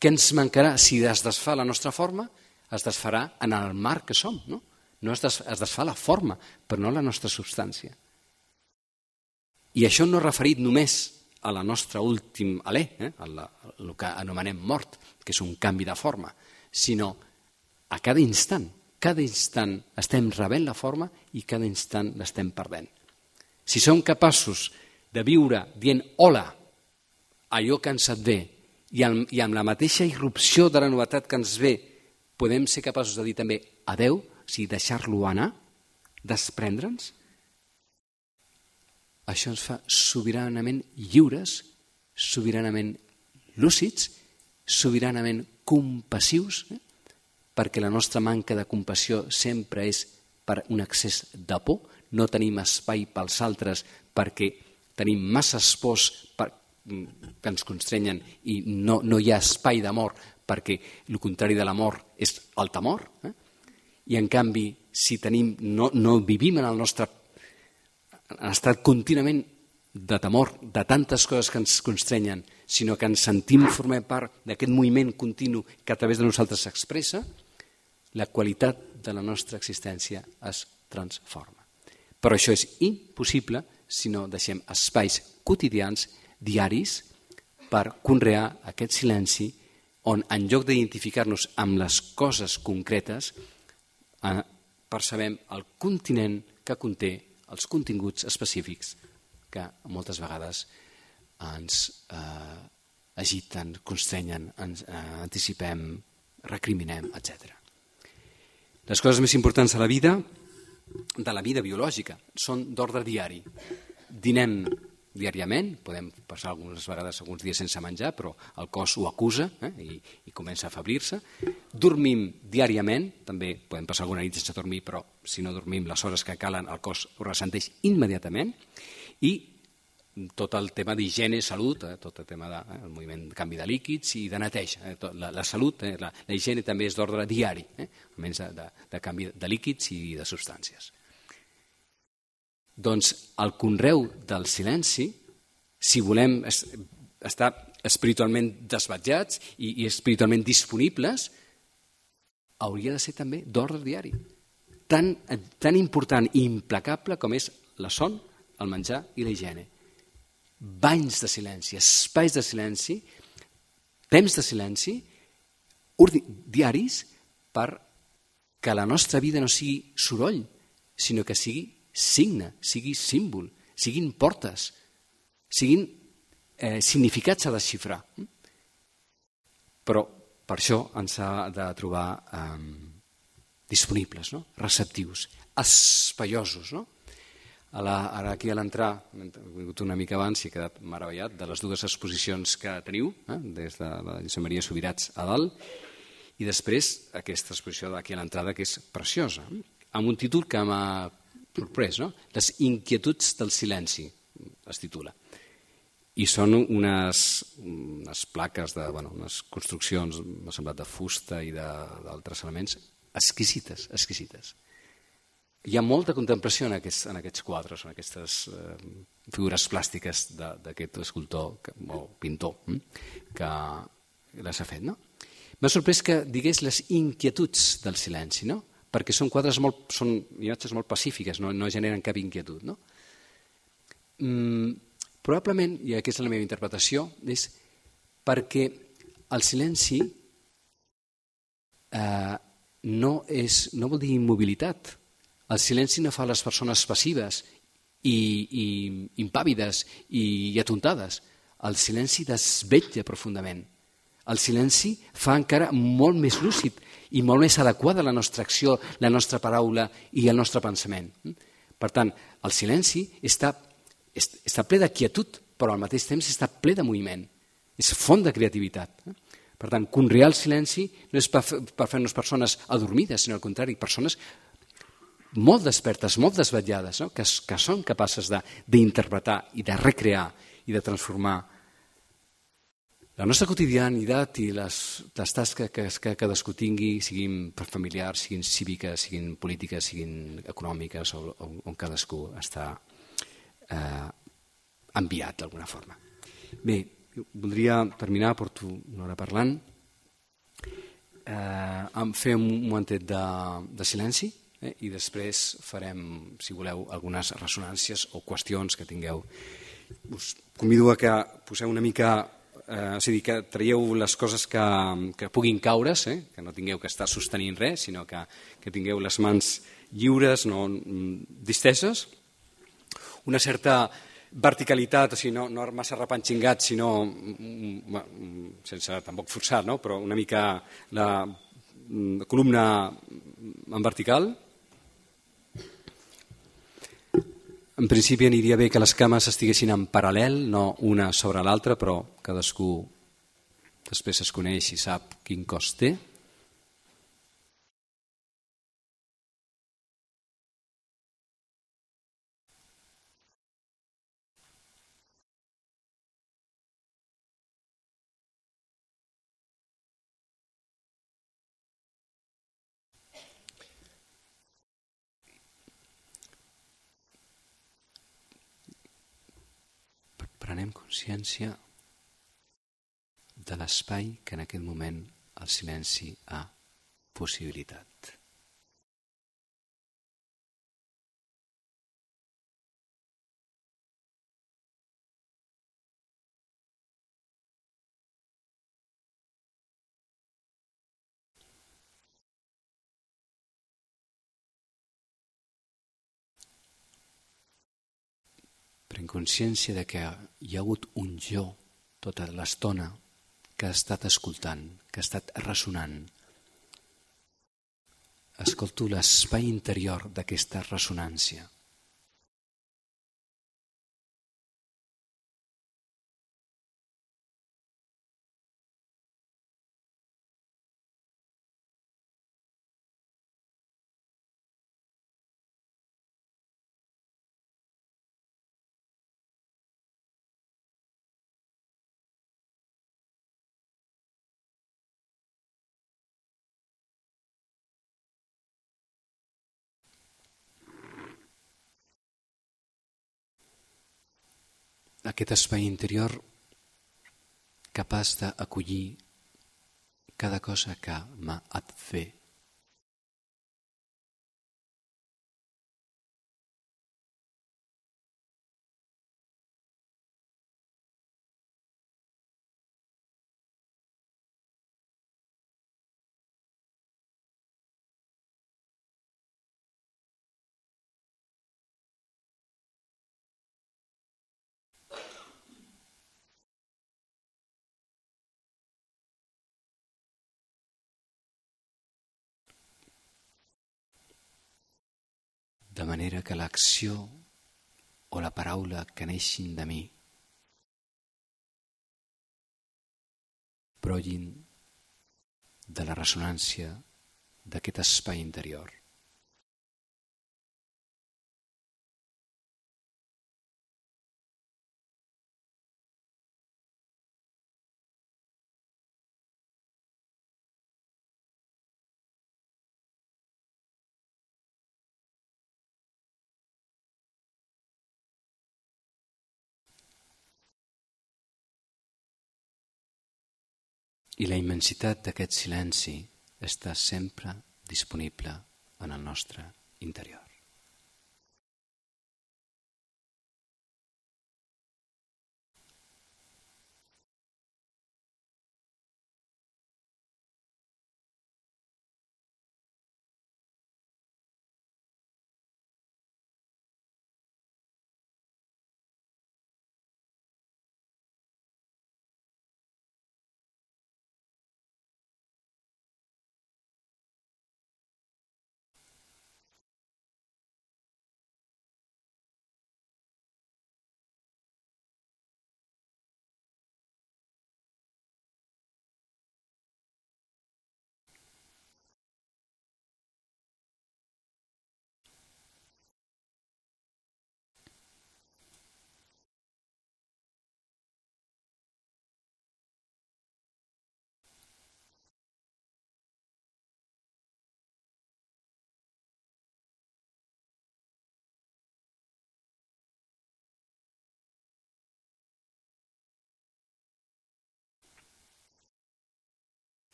Speaker 2: Què ens mancarà si es desfà la nostra forma? Es desfarà en el mar que som, no? No es, des, es desfà la forma, però no la nostra substància. I això no referit només a la nostra últim alè, eh? el, el que anomenem mort, que és un canvi de forma, sinó a cada instant. Cada instant estem rebent la forma i cada instant l'estem perdent. Si som capaços de viure dient hola, allò que ens et ve, i amb, i amb la mateixa irrupció de la novetat que ens ve, podem ser capaços de dir també adeu, o sigui, deixar-lo anar, desprendre'ns, això ens fa sobiranament lliures, sobiranament lúcids, sobiranament compassius, eh? Perquè la nostra manca de compassió sempre és per un excés de por, no tenim espai pels altres perquè tenim massa pors per, que ens constrenyen i no, no hi ha espai d'amor perquè el contrari de l'amor és el temor, eh? I en canvi, si tenim, no, no vivim en el nostre en estat contínuament de temor, de tantes coses que ens constrenyen, sinó que ens sentim formar part d'aquest moviment continu que a través de nosaltres s'expressa, la qualitat de la nostra existència es transforma. Però això és impossible si no deixem espais quotidians, diaris, per conrear aquest silenci on, en lloc d'identificar-nos amb les coses concretes, percebem el continent que conté els continguts específics que moltes vegades ens eh, agiten, constrenyen, ens eh, anticipem, recriminem, etcètera. Les coses més importants de la vida, de la vida biològica, són d'ordre diari. Dinem diàriament, podem passar algunes vegades alguns dies sense menjar, però el cos ho acusa eh, i, i comença a afeblir-se. Dormim diàriament, també podem passar alguna nit sense dormir, però si no dormim les hores que calen el cos ho ressenteix immediatament. I tot el tema d'higiene, salut, eh, tot el tema del de, eh, moviment de canvi de líquids i de neteja. Eh, tot, la, la salut, eh, la, la higiene també és d'ordre diari, eh, almenys de, de, de canvi de líquids i de substàncies. Doncs el conreu del silenci, si volem estar espiritualment desvetjats i, i espiritualment disponibles, hauria de ser també d'ordre diari. Tan, tan important i implacable com és la son, el menjar i la higiene. Banys de silenci, espais de silenci, temps de silenci, diaris, per que la nostra vida no sigui soroll, sinó que sigui signe, sigui símbol, siguin portes, siguin eh, significats a desxifrar. Però per això ens ha de trobar eh, disponibles, no? Receptius, espaiosos. No? A la, ara aquí a l'entrar, he vingut una mica abans i he quedat meravellat de les dues exposicions que teniu, eh? Des de la Josep Maria Subirats a dalt, i després aquesta exposició d'aquí a l'entrada que és preciosa, amb un títol que m'ha sorprès, no? Les inquietuds del silenci, es titula. I són unes, unes plaques, de, bueno, unes construccions, m'ha semblat, de fusta i d'altres elements, exquisites, exquisites. Hi ha molta contemplació en aquests, en aquests quadres, en aquestes eh, figures plàstiques d'aquest escultor que, o pintor hm? que les ha fet. No? M'ha sorprès que digués les inquietuds del silenci, no? Perquè són quadres molt, són imatges molt pacífiques, no, no generen cap inquietud. No? Mm, probablement, i aquesta és la meva interpretació, és perquè el silenci eh, no, és, no vol dir immobilitat. El silenci no fa les persones passives i, i impàvides i, i atontades. El silenci desvetlla profundament. El silenci fa encara molt més lúcid i molt més adequada la nostra acció, la nostra paraula i el nostre pensament. Per tant, el silenci està, està ple de quietud, però al mateix temps està ple de moviment. És font de creativitat. Per tant, conrear el silenci no és per fer-nos persones adormides, sinó al contrari, persones molt despertes, molt desvetllades, no? que, que són capaces d'interpretar i de recrear i de transformar la nostra quotidianitat i les, les tasques que, que cadascú tingui, siguin familiars, siguin cíviques, siguin polítiques, siguin econòmiques, o, o, on cadascú està eh, enviat d'alguna forma. Bé, voldria terminar, porto una hora parlant, eh, fer un momentet de, de silenci, eh, i després farem, si voleu, algunes ressonàncies o qüestions que tingueu. Us convido a que poseu una mica... Eh, és a dir, que traieu les coses que, que puguin caure's, eh? que no tingueu que estar sostenint res, sinó que, que tingueu les mans lliures, no disteses, una certa verticalitat, o sigui, no, no massa repanxingat, sinó sense tampoc forçar, no? Però una mica la, la columna en vertical. En principi aniria bé que les cames estiguessin en paral·lel, no una sobre l'altra, però cadascú després es coneix i sap quin cost té. Prenem consciència de l'espai que en aquest moment el silenci ha possibilitat. Prenc consciència de que hi ha hagut un jo tota l'estona que ha estat escoltant, que ha estat ressonant. Escolto l'espai interior d'aquesta ressonància. Aquest espai interior capaç d'acollir cada cosa que m'ha de fer. De manera que l'acció o la paraula que neixin de mi brollin de la ressonància d'aquest espai interior. I la immensitat d'aquest silenci està sempre disponible en el nostre interior.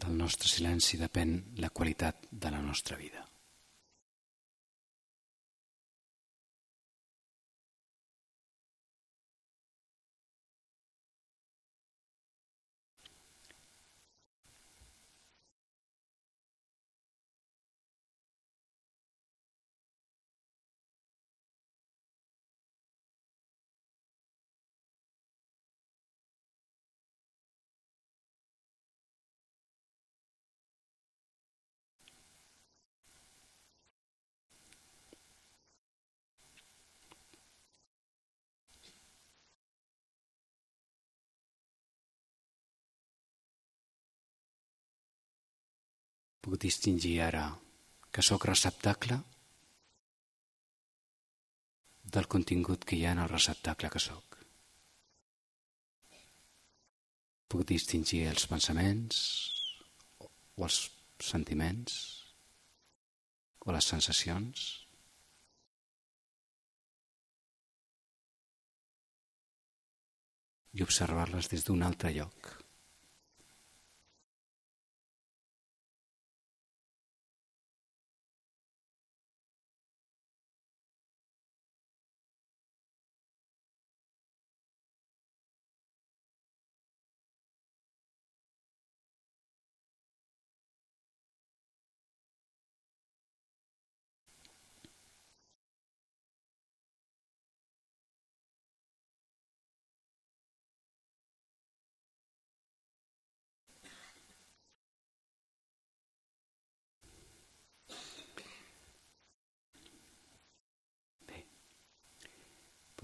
Speaker 2: del nostre silenci depèn la qualitat de la nostra vida. Puc distingir ara que sóc receptacle del contingut que hi ha en el receptacle que sóc. Puc distingir els pensaments o els sentiments o les sensacions i observar-les des d'un altre lloc.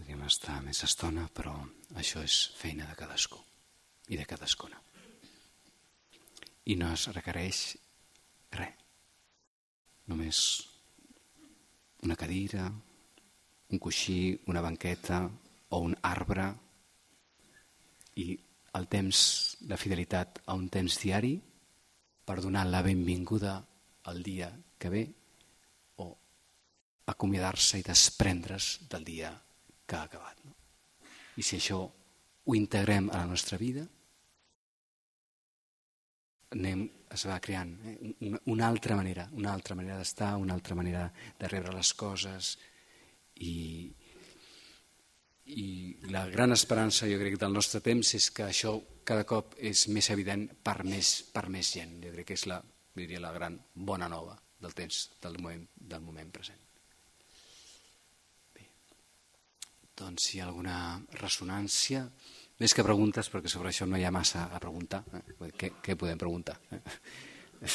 Speaker 2: Podríem estar més estona, però això és feina de cadascú i de cadascuna. I no es requereix res. Només una cadira, un coixí, una banqueta o un arbre i el temps, la fidelitat a un temps diari per donar la benvinguda al dia que ve o acomiadar-se i desprendre's del dia que ha acabat. No? I si això ho integrem a la nostra vida, anem, es va creant eh? una, una altra manera, una altra manera d'estar, una altra manera de rebre les coses i, i la gran esperança, jo crec, del nostre temps és que això cada cop és més evident per més, per més gent. Jo crec que és la, diria, la gran bona nova del temps, del moment, del moment present. Doncs si hi ha alguna ressonància, més que preguntes, perquè sobre això no hi ha massa a preguntar. Eh? Què, què podem preguntar? Eh?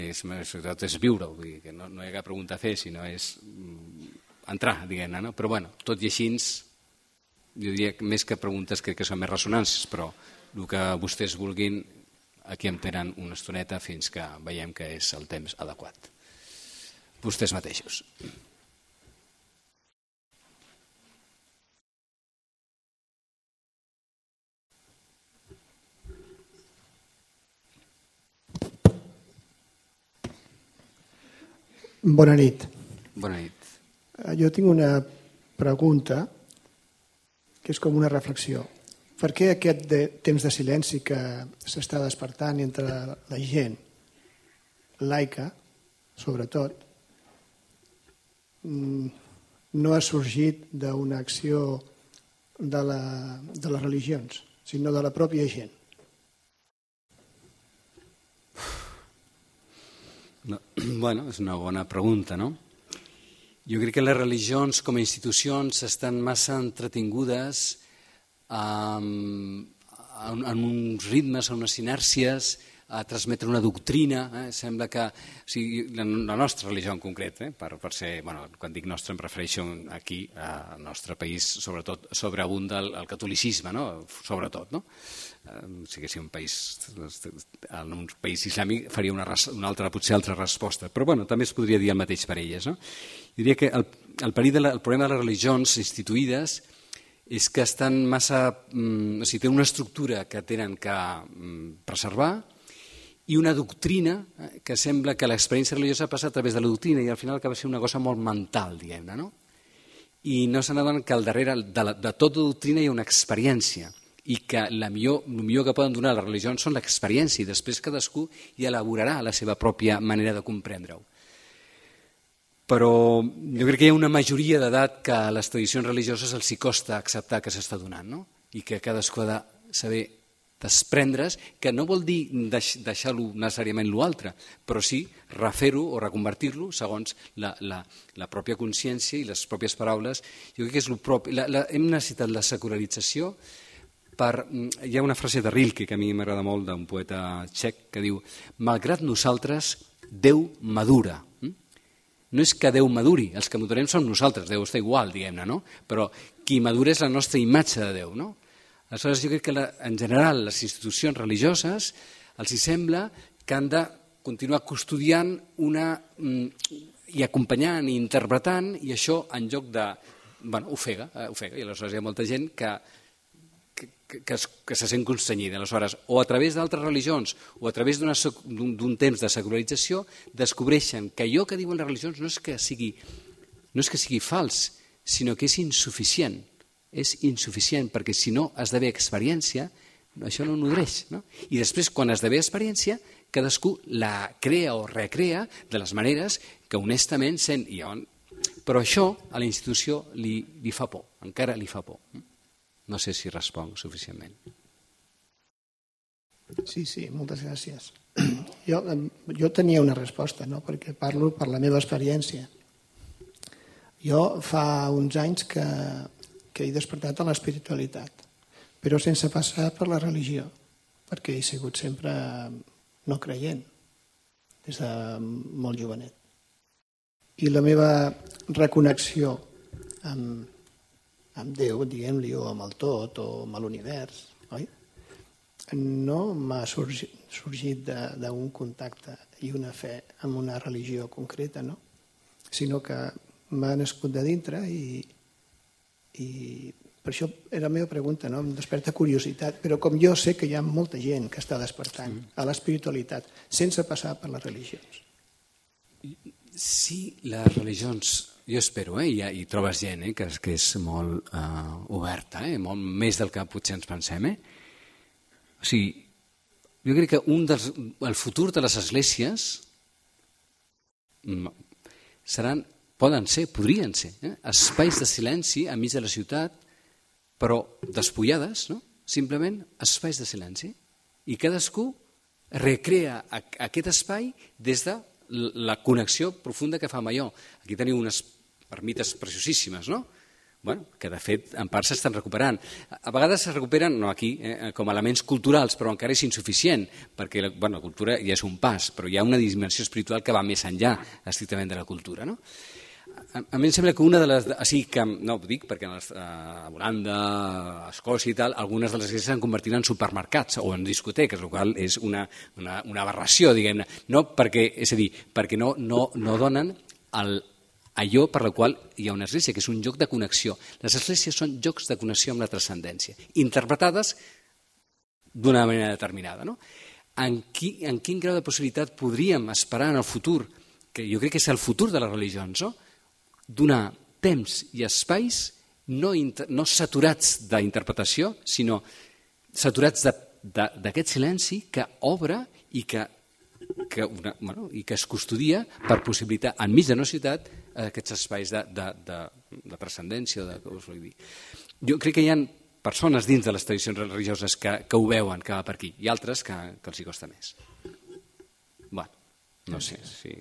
Speaker 2: és, sobretot és viure, vull dir que no, no hi ha cap pregunta a fer, sinó és entrar, diguem-ne. No? Però bueno, tot i així, jo diria que més que preguntes crec que són més ressonàncies, però el que vostès vulguin, aquí em tenen una estoneta fins que veiem que és el temps adequat. Vostès mateixos.
Speaker 3: Bona nit.
Speaker 2: Bona nit.
Speaker 3: Jo tinc una pregunta que és com una reflexió. Per què aquest de, temps de silenci que s'està despertant entre la gent laica, sobretot, no ha sorgit d'una acció de, la, de les religions, sinó de la pròpia gent?
Speaker 2: No, bueno, és una bona pregunta, no? Jo crec que les religions com a institucions estan massa entretingudes um, en, en uns ritmes, en unes inèrcies, a transmetre una doctrina. Eh? Sembla que o sigui, la, la nostra religió en concret, eh? per, per ser, bueno, quan dic nostra em refereixo aquí al nostre país, sobretot sobreabunda el, el catolicisme, no? Sobretot, no? Si haguéssim un país, en un país islàmic faria una, una altra, potser altra resposta, però bueno, també es podria dir el mateix per elles. No? Jo diria que el, el, de la, el problema de les religions instituïdes és que estan massa, mm, o sigui, tenen una estructura que tenen que mm, preservar i una doctrina eh, que sembla que l'experiència religiosa passa a través de la doctrina i al final acaba sent una cosa molt mental, diguem-ne, no? I no se n'adonen que al darrere de, la, de tota doctrina hi ha una experiència. i que la millor, el millor que poden donar les religions són l'experiència i després cadascú hi elaborarà la seva pròpia manera de comprendre-ho. Però jo crec que hi ha una majoria d'edat que a les tradicions religioses els hi costa acceptar que s'està donant, no? I que cadascú ha de saber desprendre's, que no vol dir deix, deixar-lo necessàriament l'altre, però sí refer-ho o reconvertir-lo segons la, la, la pròpia consciència i les pròpies paraules. Jo crec que és el propi. La, la, hem necessitat la secularització per... Hi ha una frase de Rilke que a mi m'agrada molt, d'un poeta txec, que diu: malgrat nosaltres, Déu madura. No és que Déu maduri, els que madurem som nosaltres, Déu està igual, diguem-ne, no? Però qui madura és la nostra imatge de Déu, no? Aleshores, jo crec que la, en general les institucions religioses els hi sembla que han de continuar custodiant una, i acompanyant i interpretant, i això en lloc de... Bueno, ofega, ofega, i aleshores hi ha molta gent que, que, que, es, que se sent constrenyida. Aleshores, o a través d'altres religions o a través d'un temps de secularització descobreixen que allò que diuen les religions no és que sigui, no és que sigui fals, sinó que és insuficient. És insuficient, perquè si no esdevé experiència, això no nodreix. No? I després, quan esdevé experiència, cadascú la crea o recrea de les maneres que honestament sent. I on... Però això a la institució li, li fa por, encara li fa por. No sé si responc suficientment.
Speaker 3: Sí, sí, moltes gràcies. Jo, jo tenia una resposta, no? Perquè parlo per la meva experiència. Jo fa uns anys que... que he despertat a l'espiritualitat, però sense passar per la religió, perquè he sigut sempre no creient, des de molt jovenet. I la meva reconnexió amb, amb Déu, diguem-li, o amb el tot, o amb l'univers, oi? No m'ha sorgit, sorgit d'un contacte i una fe amb una religió concreta, no? Sinó que m'ha nascut de dintre i i per això era la meva pregunta, no? Em desperta curiositat, però com jo sé que hi ha molta gent que està despertant a l'espiritualitat sense passar per les religions.
Speaker 2: Sí, les religions, jo espero, eh? I, i trobes gent eh? que, que és molt uh, oberta, eh? Molt més del que potser ens pensem. Eh? O sigui, jo crec que un dels, el futur de les esglésies seran... Poden ser, podrien ser, eh? espais de silenci enmig de la ciutat, però despullades, no? Simplement espais de silenci. I cadascú recrea aquest espai des de la connexió profunda que fa amb allò. Aquí teniu unes ermites preciosíssimes, no? Bueno, que de fet en part s'estan recuperant. A vegades es recuperen, no aquí, eh, com elements culturals, però encara és insuficient, perquè la, bueno, la cultura ja és un pas, però hi ha una dimensió espiritual que va més enllà estrictament de la cultura, no? A mi em sembla que una de les... O sigui que, no ho dic perquè a Holanda, a Escòcia i tal, algunes de les esglésies s'han convertit en supermercats o en discoteques, el qual és una, una, una aberració, diguem-ne. No perquè, és a dir, perquè no, no, no donen el, allò per la qual hi ha una església, que és un lloc de connexió. Les esglésies són llocs de connexió amb la transcendència, interpretades d'una manera determinada. No? En, qui, en quin grau de possibilitat podríem esperar en el futur, que jo crec que és el futur de les religions, no? Donar temps i espais no, inter, no saturats d'interpretació, sinó saturats d'aquest silenci que obre i que, que, una, bueno, i que es custodia per possibilitar enmig de la ciutat aquests espais de, de, de, de transcendència. De, us vull dir. Jo crec que hi ha persones dins de les tradicions religioses que, que ho veuen, que va per aquí, i altres que, que els hi costa més. Bueno, no sé si...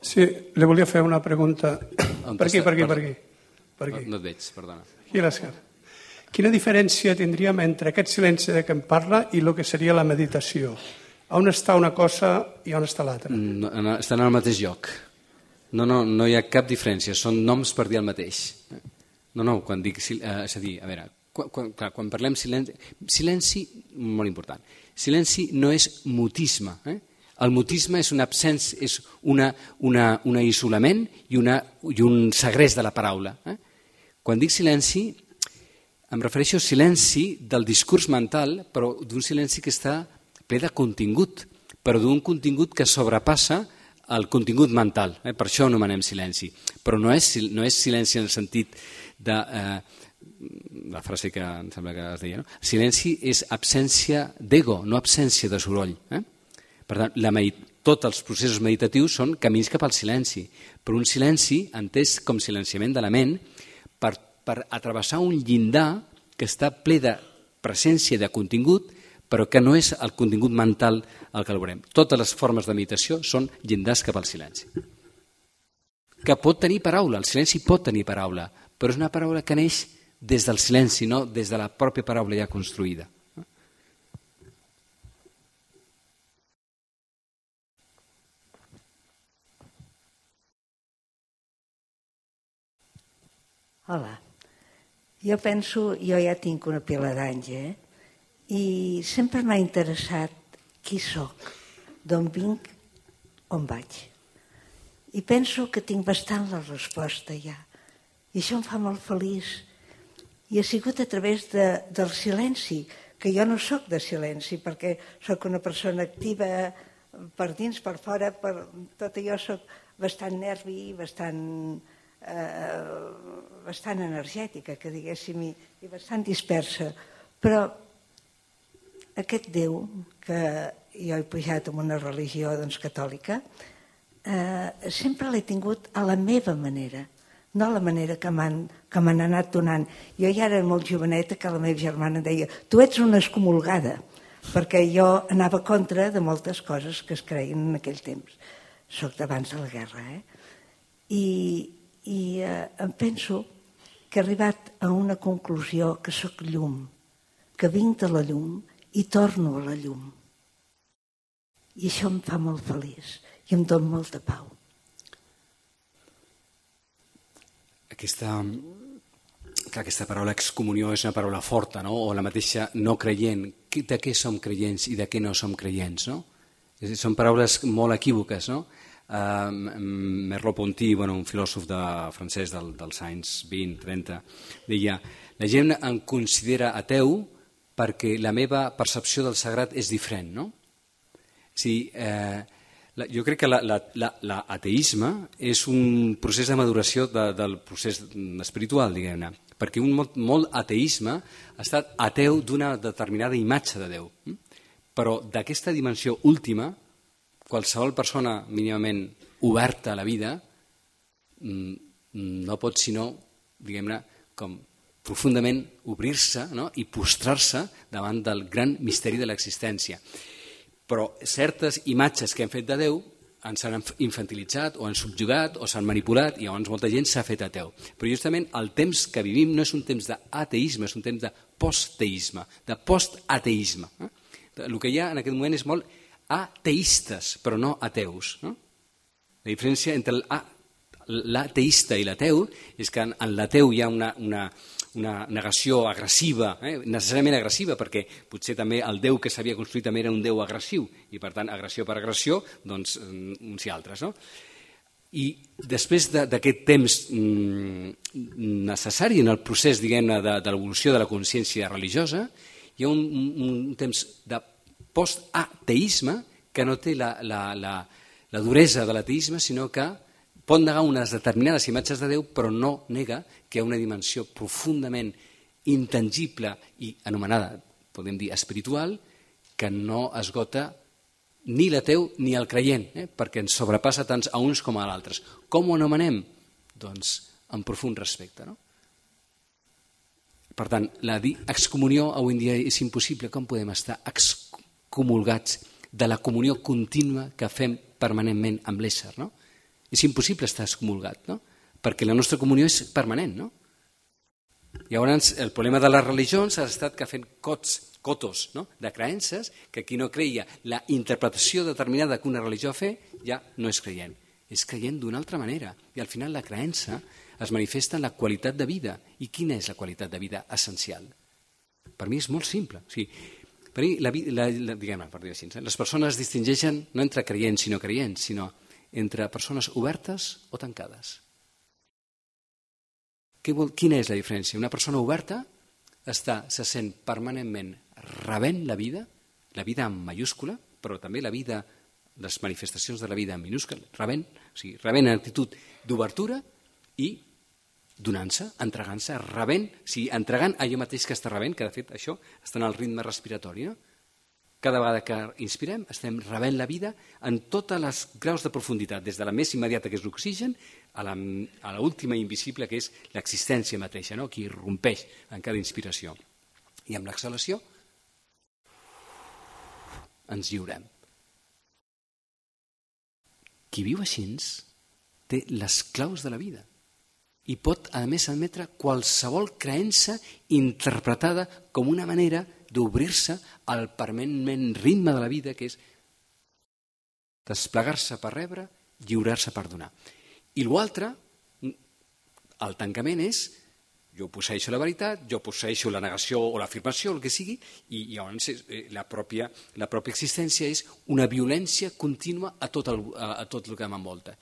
Speaker 4: Sí, le volia fer una pregunta. Per aquí, per aquí, per aquí. Per aquí.
Speaker 2: No, no et veig, perdona.
Speaker 4: Aquí a l'esquerra. Quina diferència tindríem entre aquest silenci de què em parla i el que seria la meditació? On està una cosa i on està l'altra?
Speaker 2: No, no, estan al mateix lloc. No, no, no hi ha cap diferència, són noms per dir el mateix. No, no, quan dic... Eh, és a dir, a veure, quan, quan, clar, quan parlem silenci... Silenci, molt important. Silenci no és mutisme, eh? El mutisme és, una absència, és una, una, una isolament i, una, i un segrest de la paraula. Eh? Quan dic silenci, em refereixo al silenci del discurs mental, però d'un silenci que està ple de contingut, però d'un contingut que sobrepassa el contingut mental. Eh? Per això ho anomenem silenci. Però no és, no és silenci en el sentit de... Eh, la frase que em sembla que es deia, no? Silenci és absència d'ego, no absència de soroll. Eh? Per tant, la medit tots els processos meditatius són camins cap al silenci, però un silenci entès com silenciament de la ment per, per atravessar un llindar que està ple de presència de contingut, però que no és el contingut mental el que el veurem. Totes les formes de meditació són llindars cap al silenci. Que pot tenir paraula, el silenci pot tenir paraula, però és una paraula que neix des del silenci, no des de la pròpia paraula ja construïda.
Speaker 5: Hola. Jo penso, jo ja tinc una pila d'anys, eh? I sempre m'ha interessat qui sóc, d'on vinc, on vaig. I penso que tinc bastant la resposta ja. I això em fa molt feliç. I ha sigut a través de, del silenci, que jo no sóc de silenci, perquè sóc una persona activa per dins, per fora, per tot allò sóc bastant nervi, bastant, eh, bastant energètica, que diguéssim, i, i bastant dispersa. Però aquest Déu, que jo he pujat en una religió doncs, catòlica, eh, sempre l'he tingut a la meva manera, no a la manera que m'han que m'han anat donant. Jo ja era molt joveneta que la meva germana deia tu ets una excomulgada, perquè jo anava contra de moltes coses que es creien en aquell temps. Soc d'abans de la guerra, eh? I, i eh, em penso que he arribat a una conclusió que sóc llum, que vinc de la llum i torno a la llum. I això em fa molt feliç i em dona molta pau.
Speaker 2: Aquesta, clar, aquesta paraula excomunió és una paraula forta, no? O la mateixa no creient. De què som creients i de què no som creients, no? Són paraules molt equívoques, no? Uh, Merleau-Ponty, bueno, un filòsof de, francès del, dels anys vint trenta, deia la gent em considera ateu perquè la meva percepció del sagrat és diferent, no? Sí, eh, jo crec que l'ateisme és un procés de maduració de, del procés espiritual, diguem-ne, perquè un molt, molt ateisme ha estat ateu d'una determinada imatge de Déu. Però d'aquesta dimensió última, qualsevol persona mínimament oberta a la vida no pot sinó, diguem-ne, com profundament obrir-se, no? I postrar-se davant del gran misteri de l'existència. Però certes imatges que hem fet de Déu ens han infantilitzat o han subjugat o s'han manipulat i llavors molta gent s'ha fet ateu. Però justament el temps que vivim no és un temps d'ateisme, és un temps de postteisme, de postateisme. El que hi ha en aquest moment és molt ateistes, però no ateus. No? La diferència entre l'ateista i l'ateu és que en l'ateu hi ha una... una una negació agressiva, eh? necessàriament agressiva, perquè potser també el Déu que s'havia construït també era un Déu agressiu, i per tant, agressió per agressió, doncs uns i altres. No? I després d'aquest temps necessari en el procés, diguem-ne, de, de l'evolució de la consciència religiosa, hi ha un, un temps de post-ateisme que no té la, la, la, la duresa de l'ateisme, sinó que pot negar unes determinades imatges de Déu, però no nega que hi ha una dimensió profundament intangible i anomenada, podem dir, espiritual, que no esgota ni l'ateu ni el creient, eh? perquè ens sobrepassa tant a uns com a altres. Com ho anomenem? Doncs amb profund respecte. No? Per tant, la excomunió avui en dia és impossible. Com podem estar excomulgats de la comunió contínua que fem permanentment amb l'ésser, no? És impossible estar excomulgat, no? Perquè la nostra comunió és permanent, no? Llavors, el problema de les religions ha estat que fent cots, cotos, no? De creences, que qui no creia la interpretació determinada que una religió fa, ja no és creient. És creient d'una altra manera. I al final la creença es manifesta en la qualitat de vida. I quina és la qualitat de vida essencial? Per mi és molt simple. O sigui, per mi, la, la, la, diguem-ne, per dir així, les persones es distingeixen no entre creients i no creients, sinó entre persones obertes o tancades. Quina és la diferència? Una persona oberta està, se sent permanentment rebent la vida, la vida en mayúscula, però també la vida, les manifestacions de la vida en minúscula, rebent, o sigui, rebent en actitud d'obertura i donant-se, entregant-se, rebent, o sigui, entregant allò mateix que està rebent, que de fet això està en el ritme respiratori, no? Cada vegada que inspirem estem rebent la vida en tots els graus de profunditat, des de la més immediata, que és l'oxigen, a l'última invisible, que és l'existència mateixa, no? Que irrompeix en cada inspiració. I amb l'exhalació ens lliurem. Qui viu així té les claus de la vida i pot, a més, admetre qualsevol creença interpretada com una manera d'obrir-se al permanent ritme de la vida, que és desplegar-se per rebre, lliurar-se per donar. I l'altre, el tancament és, jo posseeixo la veritat, jo posseeixo la negació o l'afirmació, el que sigui, i llavors la pròpia, la pròpia existència és una violència contínua a tot el, a, a tot el que m'envolta.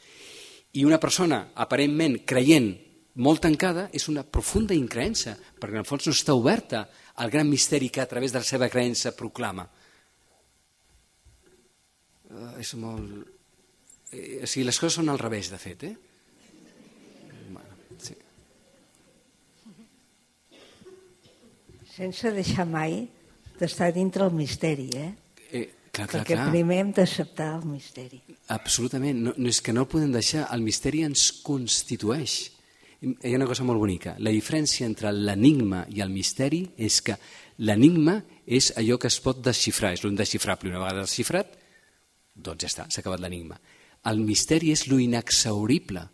Speaker 2: I una persona aparentment creient molt tancada és una profunda increença, perquè en el fons no està oberta al gran misteri que a través de la seva creença proclama. Uh, és molt... Eh, o sigui, les coses són al revés, de fet, eh? Bueno, sí.
Speaker 5: Sense deixar mai d'estar dintre el misteri, eh?
Speaker 2: Eh, clar, clar,
Speaker 5: Perquè
Speaker 2: clar.
Speaker 5: primer hem d'acceptar el misteri.
Speaker 2: Absolutament. No, no és que no el podem deixar. El misteri ens constitueix. Hi ha una cosa molt bonica. La diferència entre l'enigma i el misteri és que l'enigma és allò que es pot desxifrar, és l'indesxifrable. Una vegada desxifrat, doncs ja està, s'ha acabat l'enigma. El misteri és lo inexhaurible.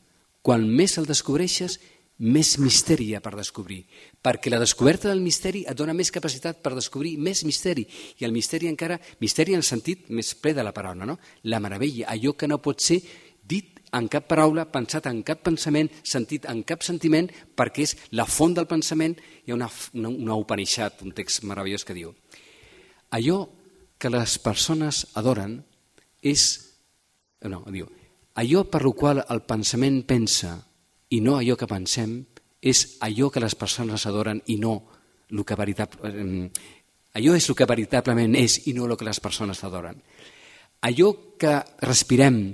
Speaker 2: Quan més el descobreixes, més misteri hi ha per descobrir. Perquè la descoberta del misteri et dona més capacitat per descobrir més misteri. I el misteri encara, misteri en el sentit més ple de la paraula, no? La meravella, allò que no pot ser dit en cap paraula, pensat en cap pensament, sentit en cap sentiment, perquè és la font del pensament. Hi ha una, una, una Upanishad, un text meravellós que diu: allò que les persones adoren és... No, diu, allò per lo qual el pensament pensa i no allò que pensem és allò que les persones adoren i no el que veritablement... Allò és el que veritablement és i no el que les persones adoren. Allò que respirem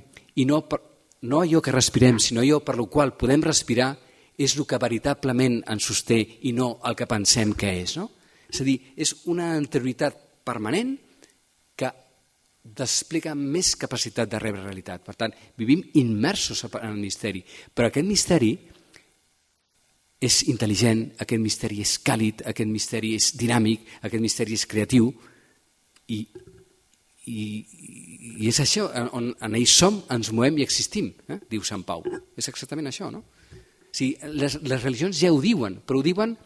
Speaker 2: i no... Per, no allò que respirem, sinó allò per lo qual podem respirar, és el que veritablement ens sosté i no el que pensem que és. No? És a dir, és una anterioritat permanent que desplega més capacitat de rebre realitat. Per tant, vivim immersos en el misteri, però aquest misteri és intel·ligent, aquest misteri és càlid, aquest misteri és dinàmic, aquest misteri és creatiu i I, i és això, on en ell som, ens movem i existim, eh? Diu Sant Pau. És exactament això, no? O sigui, les, les religions ja ho diuen, però ho diuen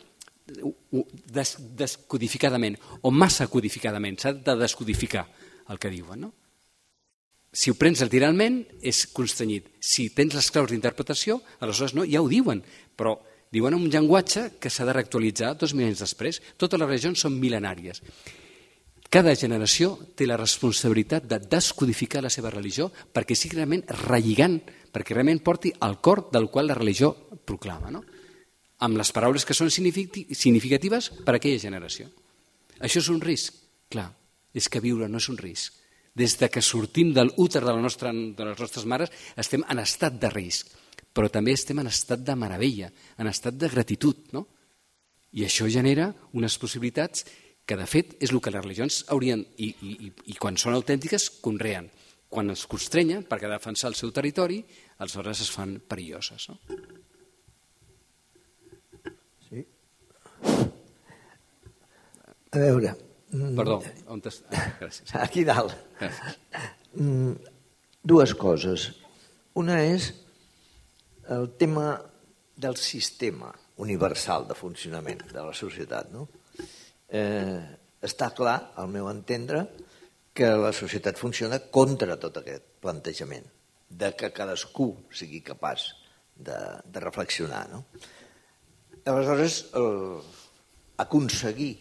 Speaker 2: des, descodificadament, o massa codificadament, s'ha de descodificar el que diuen, no? Si ho prens literalment, és constranyit. Si tens les claus d'interpretació, aleshores no, ja ho diuen, però diuen un llenguatge que s'ha de reactualitzar dos mil anys després. Totes les religions són mil·lenàries. Cada generació té la responsabilitat de descodificar la seva religió perquè sigui realment relligant, perquè realment porti al cor del qual la religió proclama, no? Amb les paraules que són significatives per a aquella generació. Això és un risc? Clar, és que viure no és un risc. Des de que sortim de l'úter de, la nostra, de les nostres mares estem en estat de risc, però també estem en estat de meravella, en estat de gratitud, no? I això genera unes possibilitats que de fet és el que les religions haurien, i, i, i quan són autèntiques, conreen. Quan es constrenyen perquè defensar el seu territori, aleshores es fan perilloses. No?
Speaker 6: Sí. A veure...
Speaker 2: Perdó, on estàs? Ah, gràcies.
Speaker 6: Aquí dalt.
Speaker 2: Gràcies.
Speaker 6: Dues coses. Una és el tema del sistema universal de funcionament de la societat, no? Eh, està clar, al meu entendre, que la societat funciona contra tot aquest plantejament, de que cadascú sigui capaç de, de reflexionar. No? Aleshores, el, aconseguir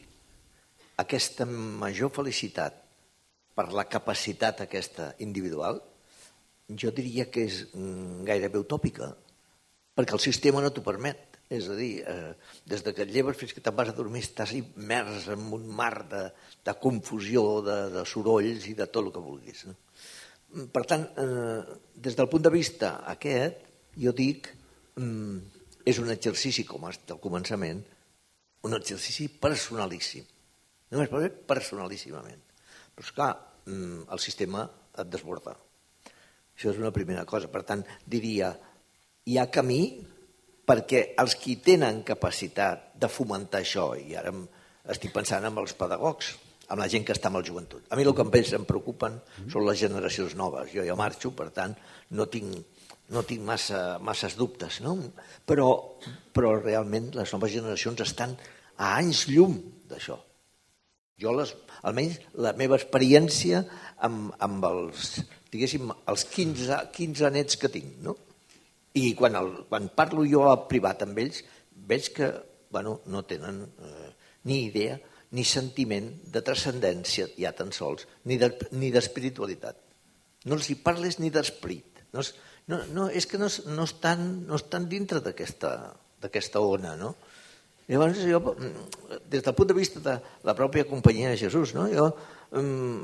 Speaker 6: aquesta major felicitat per la capacitat aquesta individual, jo diria que és gairebé utòpica, perquè el sistema no t'ho permet. És a dir, eh, des que et lleves fins que te'n vas a dormir estàs immers en un mar de, de confusió, de, de sorolls i de tot el que vulguis. No? Per tant, eh, des del punt de vista aquest, jo dic, mm, és un exercici, com ha estat al començament, un exercici personalíssim. Només per fer personalíssimament. Però, esclar, el sistema et desborda. Això és una primera cosa. Per tant, diria, hi ha camí perquè els qui tenen capacitat de fomentar això, i ara estic pensant en els pedagogs, amb la gent que està amb el joventut. A mi el que em preocupen són les generacions noves. Jo ja marxo, per tant, no tinc, no tinc massa, masses dubtes, no? Però, però realment les noves generacions estan a anys llum d'això. Jo, les, almenys, la meva experiència amb, amb els, diguéssim, els quinze, quinze nets que tinc, no? I quan, el, quan parlo jo a privat amb ells, veig que bueno, no tenen eh, ni idea ni sentiment de transcendència, ja tan sols, ni d'espiritualitat. No els hi parles ni d'esperit. No, no, no, és que no, no, estan, no estan dintre d'aquesta ona, no? Llavors, jo, des del punt de vista de la pròpia companyia de Jesús, no? Jo,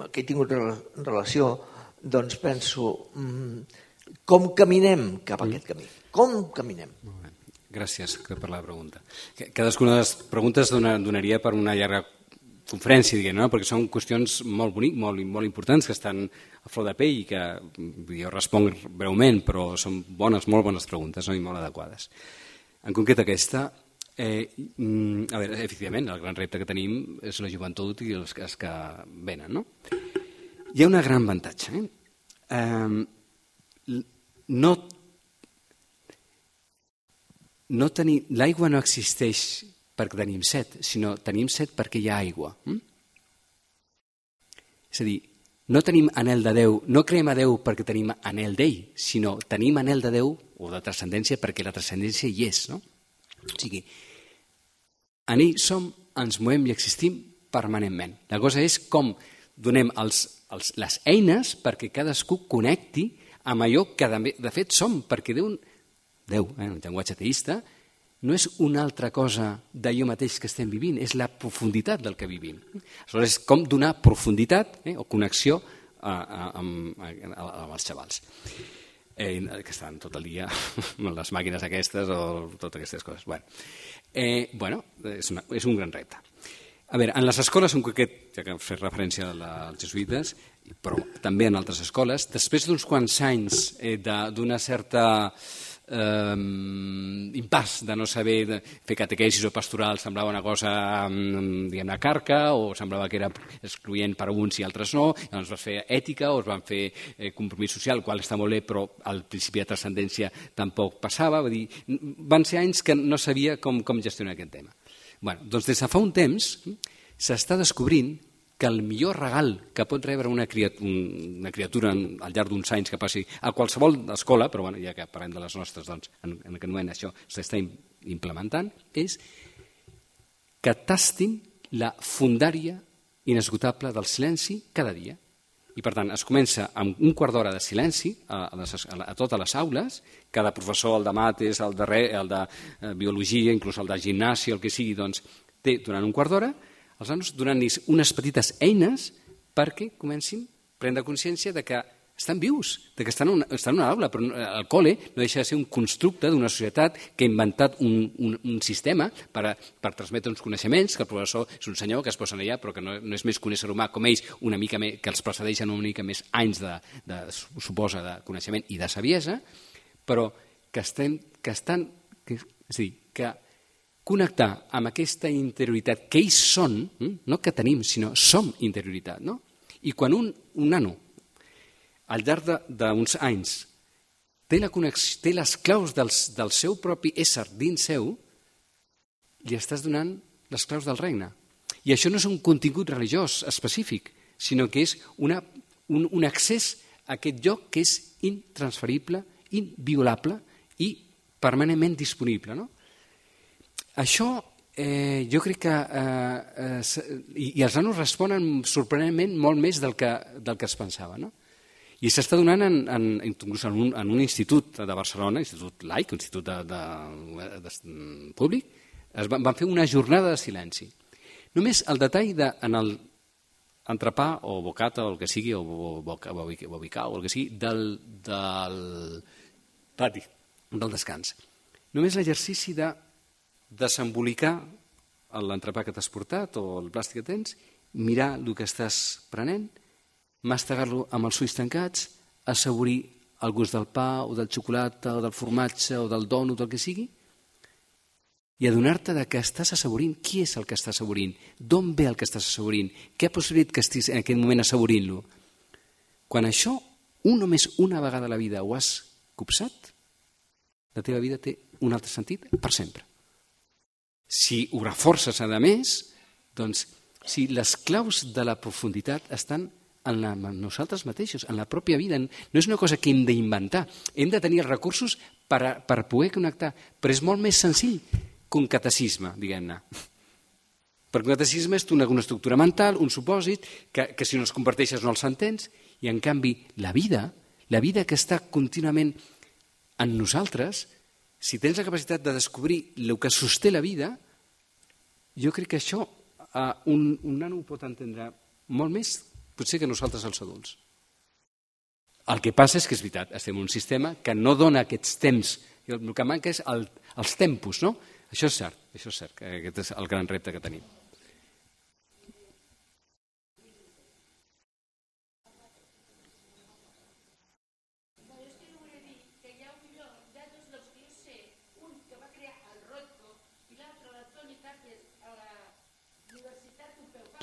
Speaker 6: que he tingut relació, doncs penso, com caminem cap a aquest camí? Com caminem?
Speaker 2: Molt bé. Gràcies per la pregunta. Cadascuna de les preguntes donaria per una llarga conferència, diguem, no? Perquè són qüestions molt boniques, molt, molt importants, que estan a flor de pell i que jo responc breument, però són bones, molt bones preguntes, no? I molt adequades. En concret aquesta, eh, a veure, efectivament, el gran repte que tenim és la joventut i els, els que venen, no? Hi ha un gran avantatge. Eh? Eh, no No tenir, l'aigua no existeix perquè tenim set, sinó tenim set perquè hi ha aigua. Mm? És a dir, no tenim anhel de Déu, no creem a Déu perquè tenim anhel d'ell, sinó tenim anhel de Déu o de transcendència perquè la transcendència hi és. No? O sigui, en ell som, ens movem i existim permanentment. La cosa és com donem els, els, les eines perquè cadascú connecti amb allò que de, de fet som, perquè Déu... Déu, eh, el llenguatge ateista, no és una altra cosa d'allò mateix que estem vivint, és la profunditat del que vivim. Aleshores, és com donar profunditat eh, o connexió a, a, a, a, amb els xavals, eh, que estan tot el dia amb les màquines aquestes o totes aquestes coses. Bueno, eh, bueno és, una, és un gran repte. A veure, en les escoles, en concret, ja que hem fet referència als jesuïtes, però també en altres escoles, després d'uns quants anys eh, d'una certa... Um, impàs de no saber de fer catequesis o pastoral, semblava una cosa um, diguem-ne carca, o semblava que era excloent per a uns i altres no, llavors es fer ètica o es van fer eh, compromís social, el qual està molt bé, però al principi de transcendència tampoc passava, va dir, van ser anys que no sabia com, com gestionar aquest tema. Bueno, doncs des de fa un temps s'està descobrint que el millor regal que pot rebre una criatura, una criatura al llarg d'uns anys que passi a qualsevol escola, però bueno, ja que parlem de les nostres, doncs, en, en aquest moment això s'està implementant, és que tastin la fundària inesgotable del silenci cada dia. I per tant es comença amb un quart d'hora de silenci a, a, les, a totes les aules, cada professor, el de mates, el de, re, el de eh, biologia, inclús el de gimnàsia, el que sigui, doncs té durant un quart d'hora els nanos donant-los unes petites eines perquè comencin a prendre consciència de que estan vius, de que estan en una, estan en una aula, però el col·le no deixa de ser un constructe d'una societat que ha inventat un, un, un sistema per, a, per transmetre uns coneixements, que el professor és un senyor que es posa allà, però que no, no és més que un ésser humà com ells, una mica més, que els precedeixen una mica més anys de, de, suposa, de coneixement i de saviesa, però que estem, que estan, que, és a dir, que connectar amb aquesta interioritat que ells són, no que tenim, sinó som interioritat. No? I quan un, un nano, al llarg d'uns anys, té, la connexió, té les claus dels, del seu propi ésser dins seu, li estàs donant les claus del regne. I això no és un contingut religiós específic, sinó que és una, un, un accés a aquest lloc que és intransferible, inviolable i permanentment disponible. No? Això eh, jo crec que eh, eh, i, i els nanos responen sorprenentment molt més del que, del que es pensava. No? I s'està donant en, en, inclús en, un, en un institut de Barcelona, institut laic, institut de, de, de, de públic, es van, van fer una jornada de silenci. Només el detall de, en el entrepà o bocata o el que sigui, o bobicà o el que sigui, del, del pati, del descans. Només l'exercici de desembolicar l'entrepà que t'has portat o el plàstic que tens, mirar el que estàs prenent, mastegar-lo amb els ulls tancats, assaborir el gust del pa o del xocolata o del formatge o del dònut, del que sigui, i adonar-te de que estàs assaborint qui és el que està assaborint, d'on ve el que estàs assaborint, què ha possibilitat que estiguis en aquell moment assaborint-lo. Quan això, un només una vegada a la vida ho has copsat, la teva vida té un altre sentit per sempre. Si ho reforces a més, doncs si les claus de la profunditat estan en, la, en nosaltres mateixos, en la pròpia vida. No és una cosa que hem d'inventar, hem de tenir els recursos per, a, per poder connectar, però és molt més senzill que un catecisme, diguem-ne. Perquè un catecisme és una, una estructura mental, un supòsit, que, que si no els comparteixes no els entens, i en canvi la vida, la vida que està contínuament en nosaltres, si tens la capacitat de descobrir el que sosté la vida, jo crec que això uh, un, un nano ho pot entendre molt més, potser que nosaltres els adults. El que passa és que és veritat, estem en un sistema que no dona aquests temps, el que manca és el, els tempos, no? Això és cert, això és cert, que aquest és el gran repte que tenim.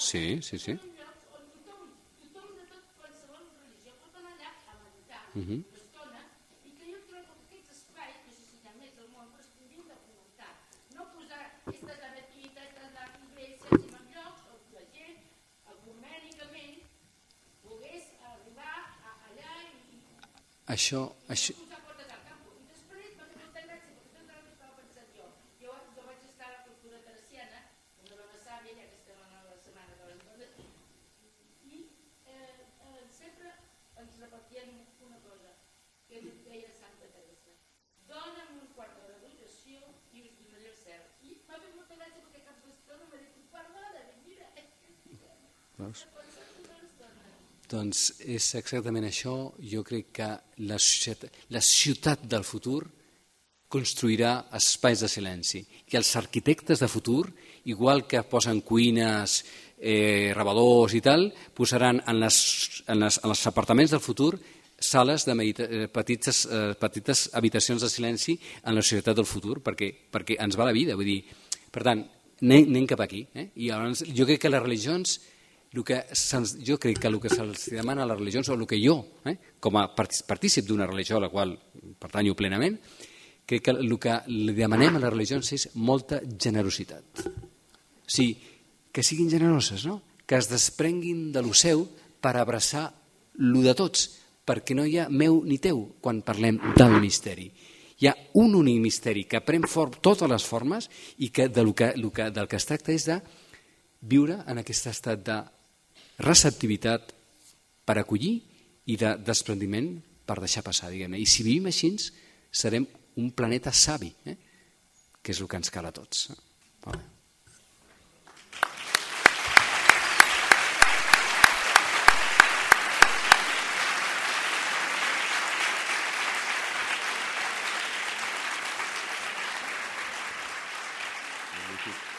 Speaker 2: Sí, sí, sí. Uh-huh. Això, això... Doncs és exactament això. Jo crec que la ciutat, la ciutat del futur construirà espais de silenci. I els arquitectes de futur, igual que posen cuines, eh, rebedors i tal, posaran en, les, en, les, en els apartaments del futur sales de medita eh, petites, eh, petites habitacions de silenci en la societat del futur, perquè, perquè ens va la vida. Vull dir, per tant, anem, anem cap aquí. Eh? I llavors, jo crec que les religions... El que jo crec que el que se'ls demana a les religions, o el que jo, eh, com a partícip d'una religió a la qual pertanyo plenament, crec que el que li demanem a les religions és molta generositat. O sigui, que siguin generoses, no? Que es desprenguin de lo seu per abraçar lo de tots, perquè no hi ha meu ni teu quan parlem del misteri. Hi ha un únic misteri que pren totes les formes i que del que, del que es tracta és de viure en aquest estat de receptivitat per acollir i de desprendiment per deixar passar, diguem-ne. I si vivim així, serem un planeta savi, eh? Que és el que ens cal a tots. Vale.
Speaker 1: Magnífic.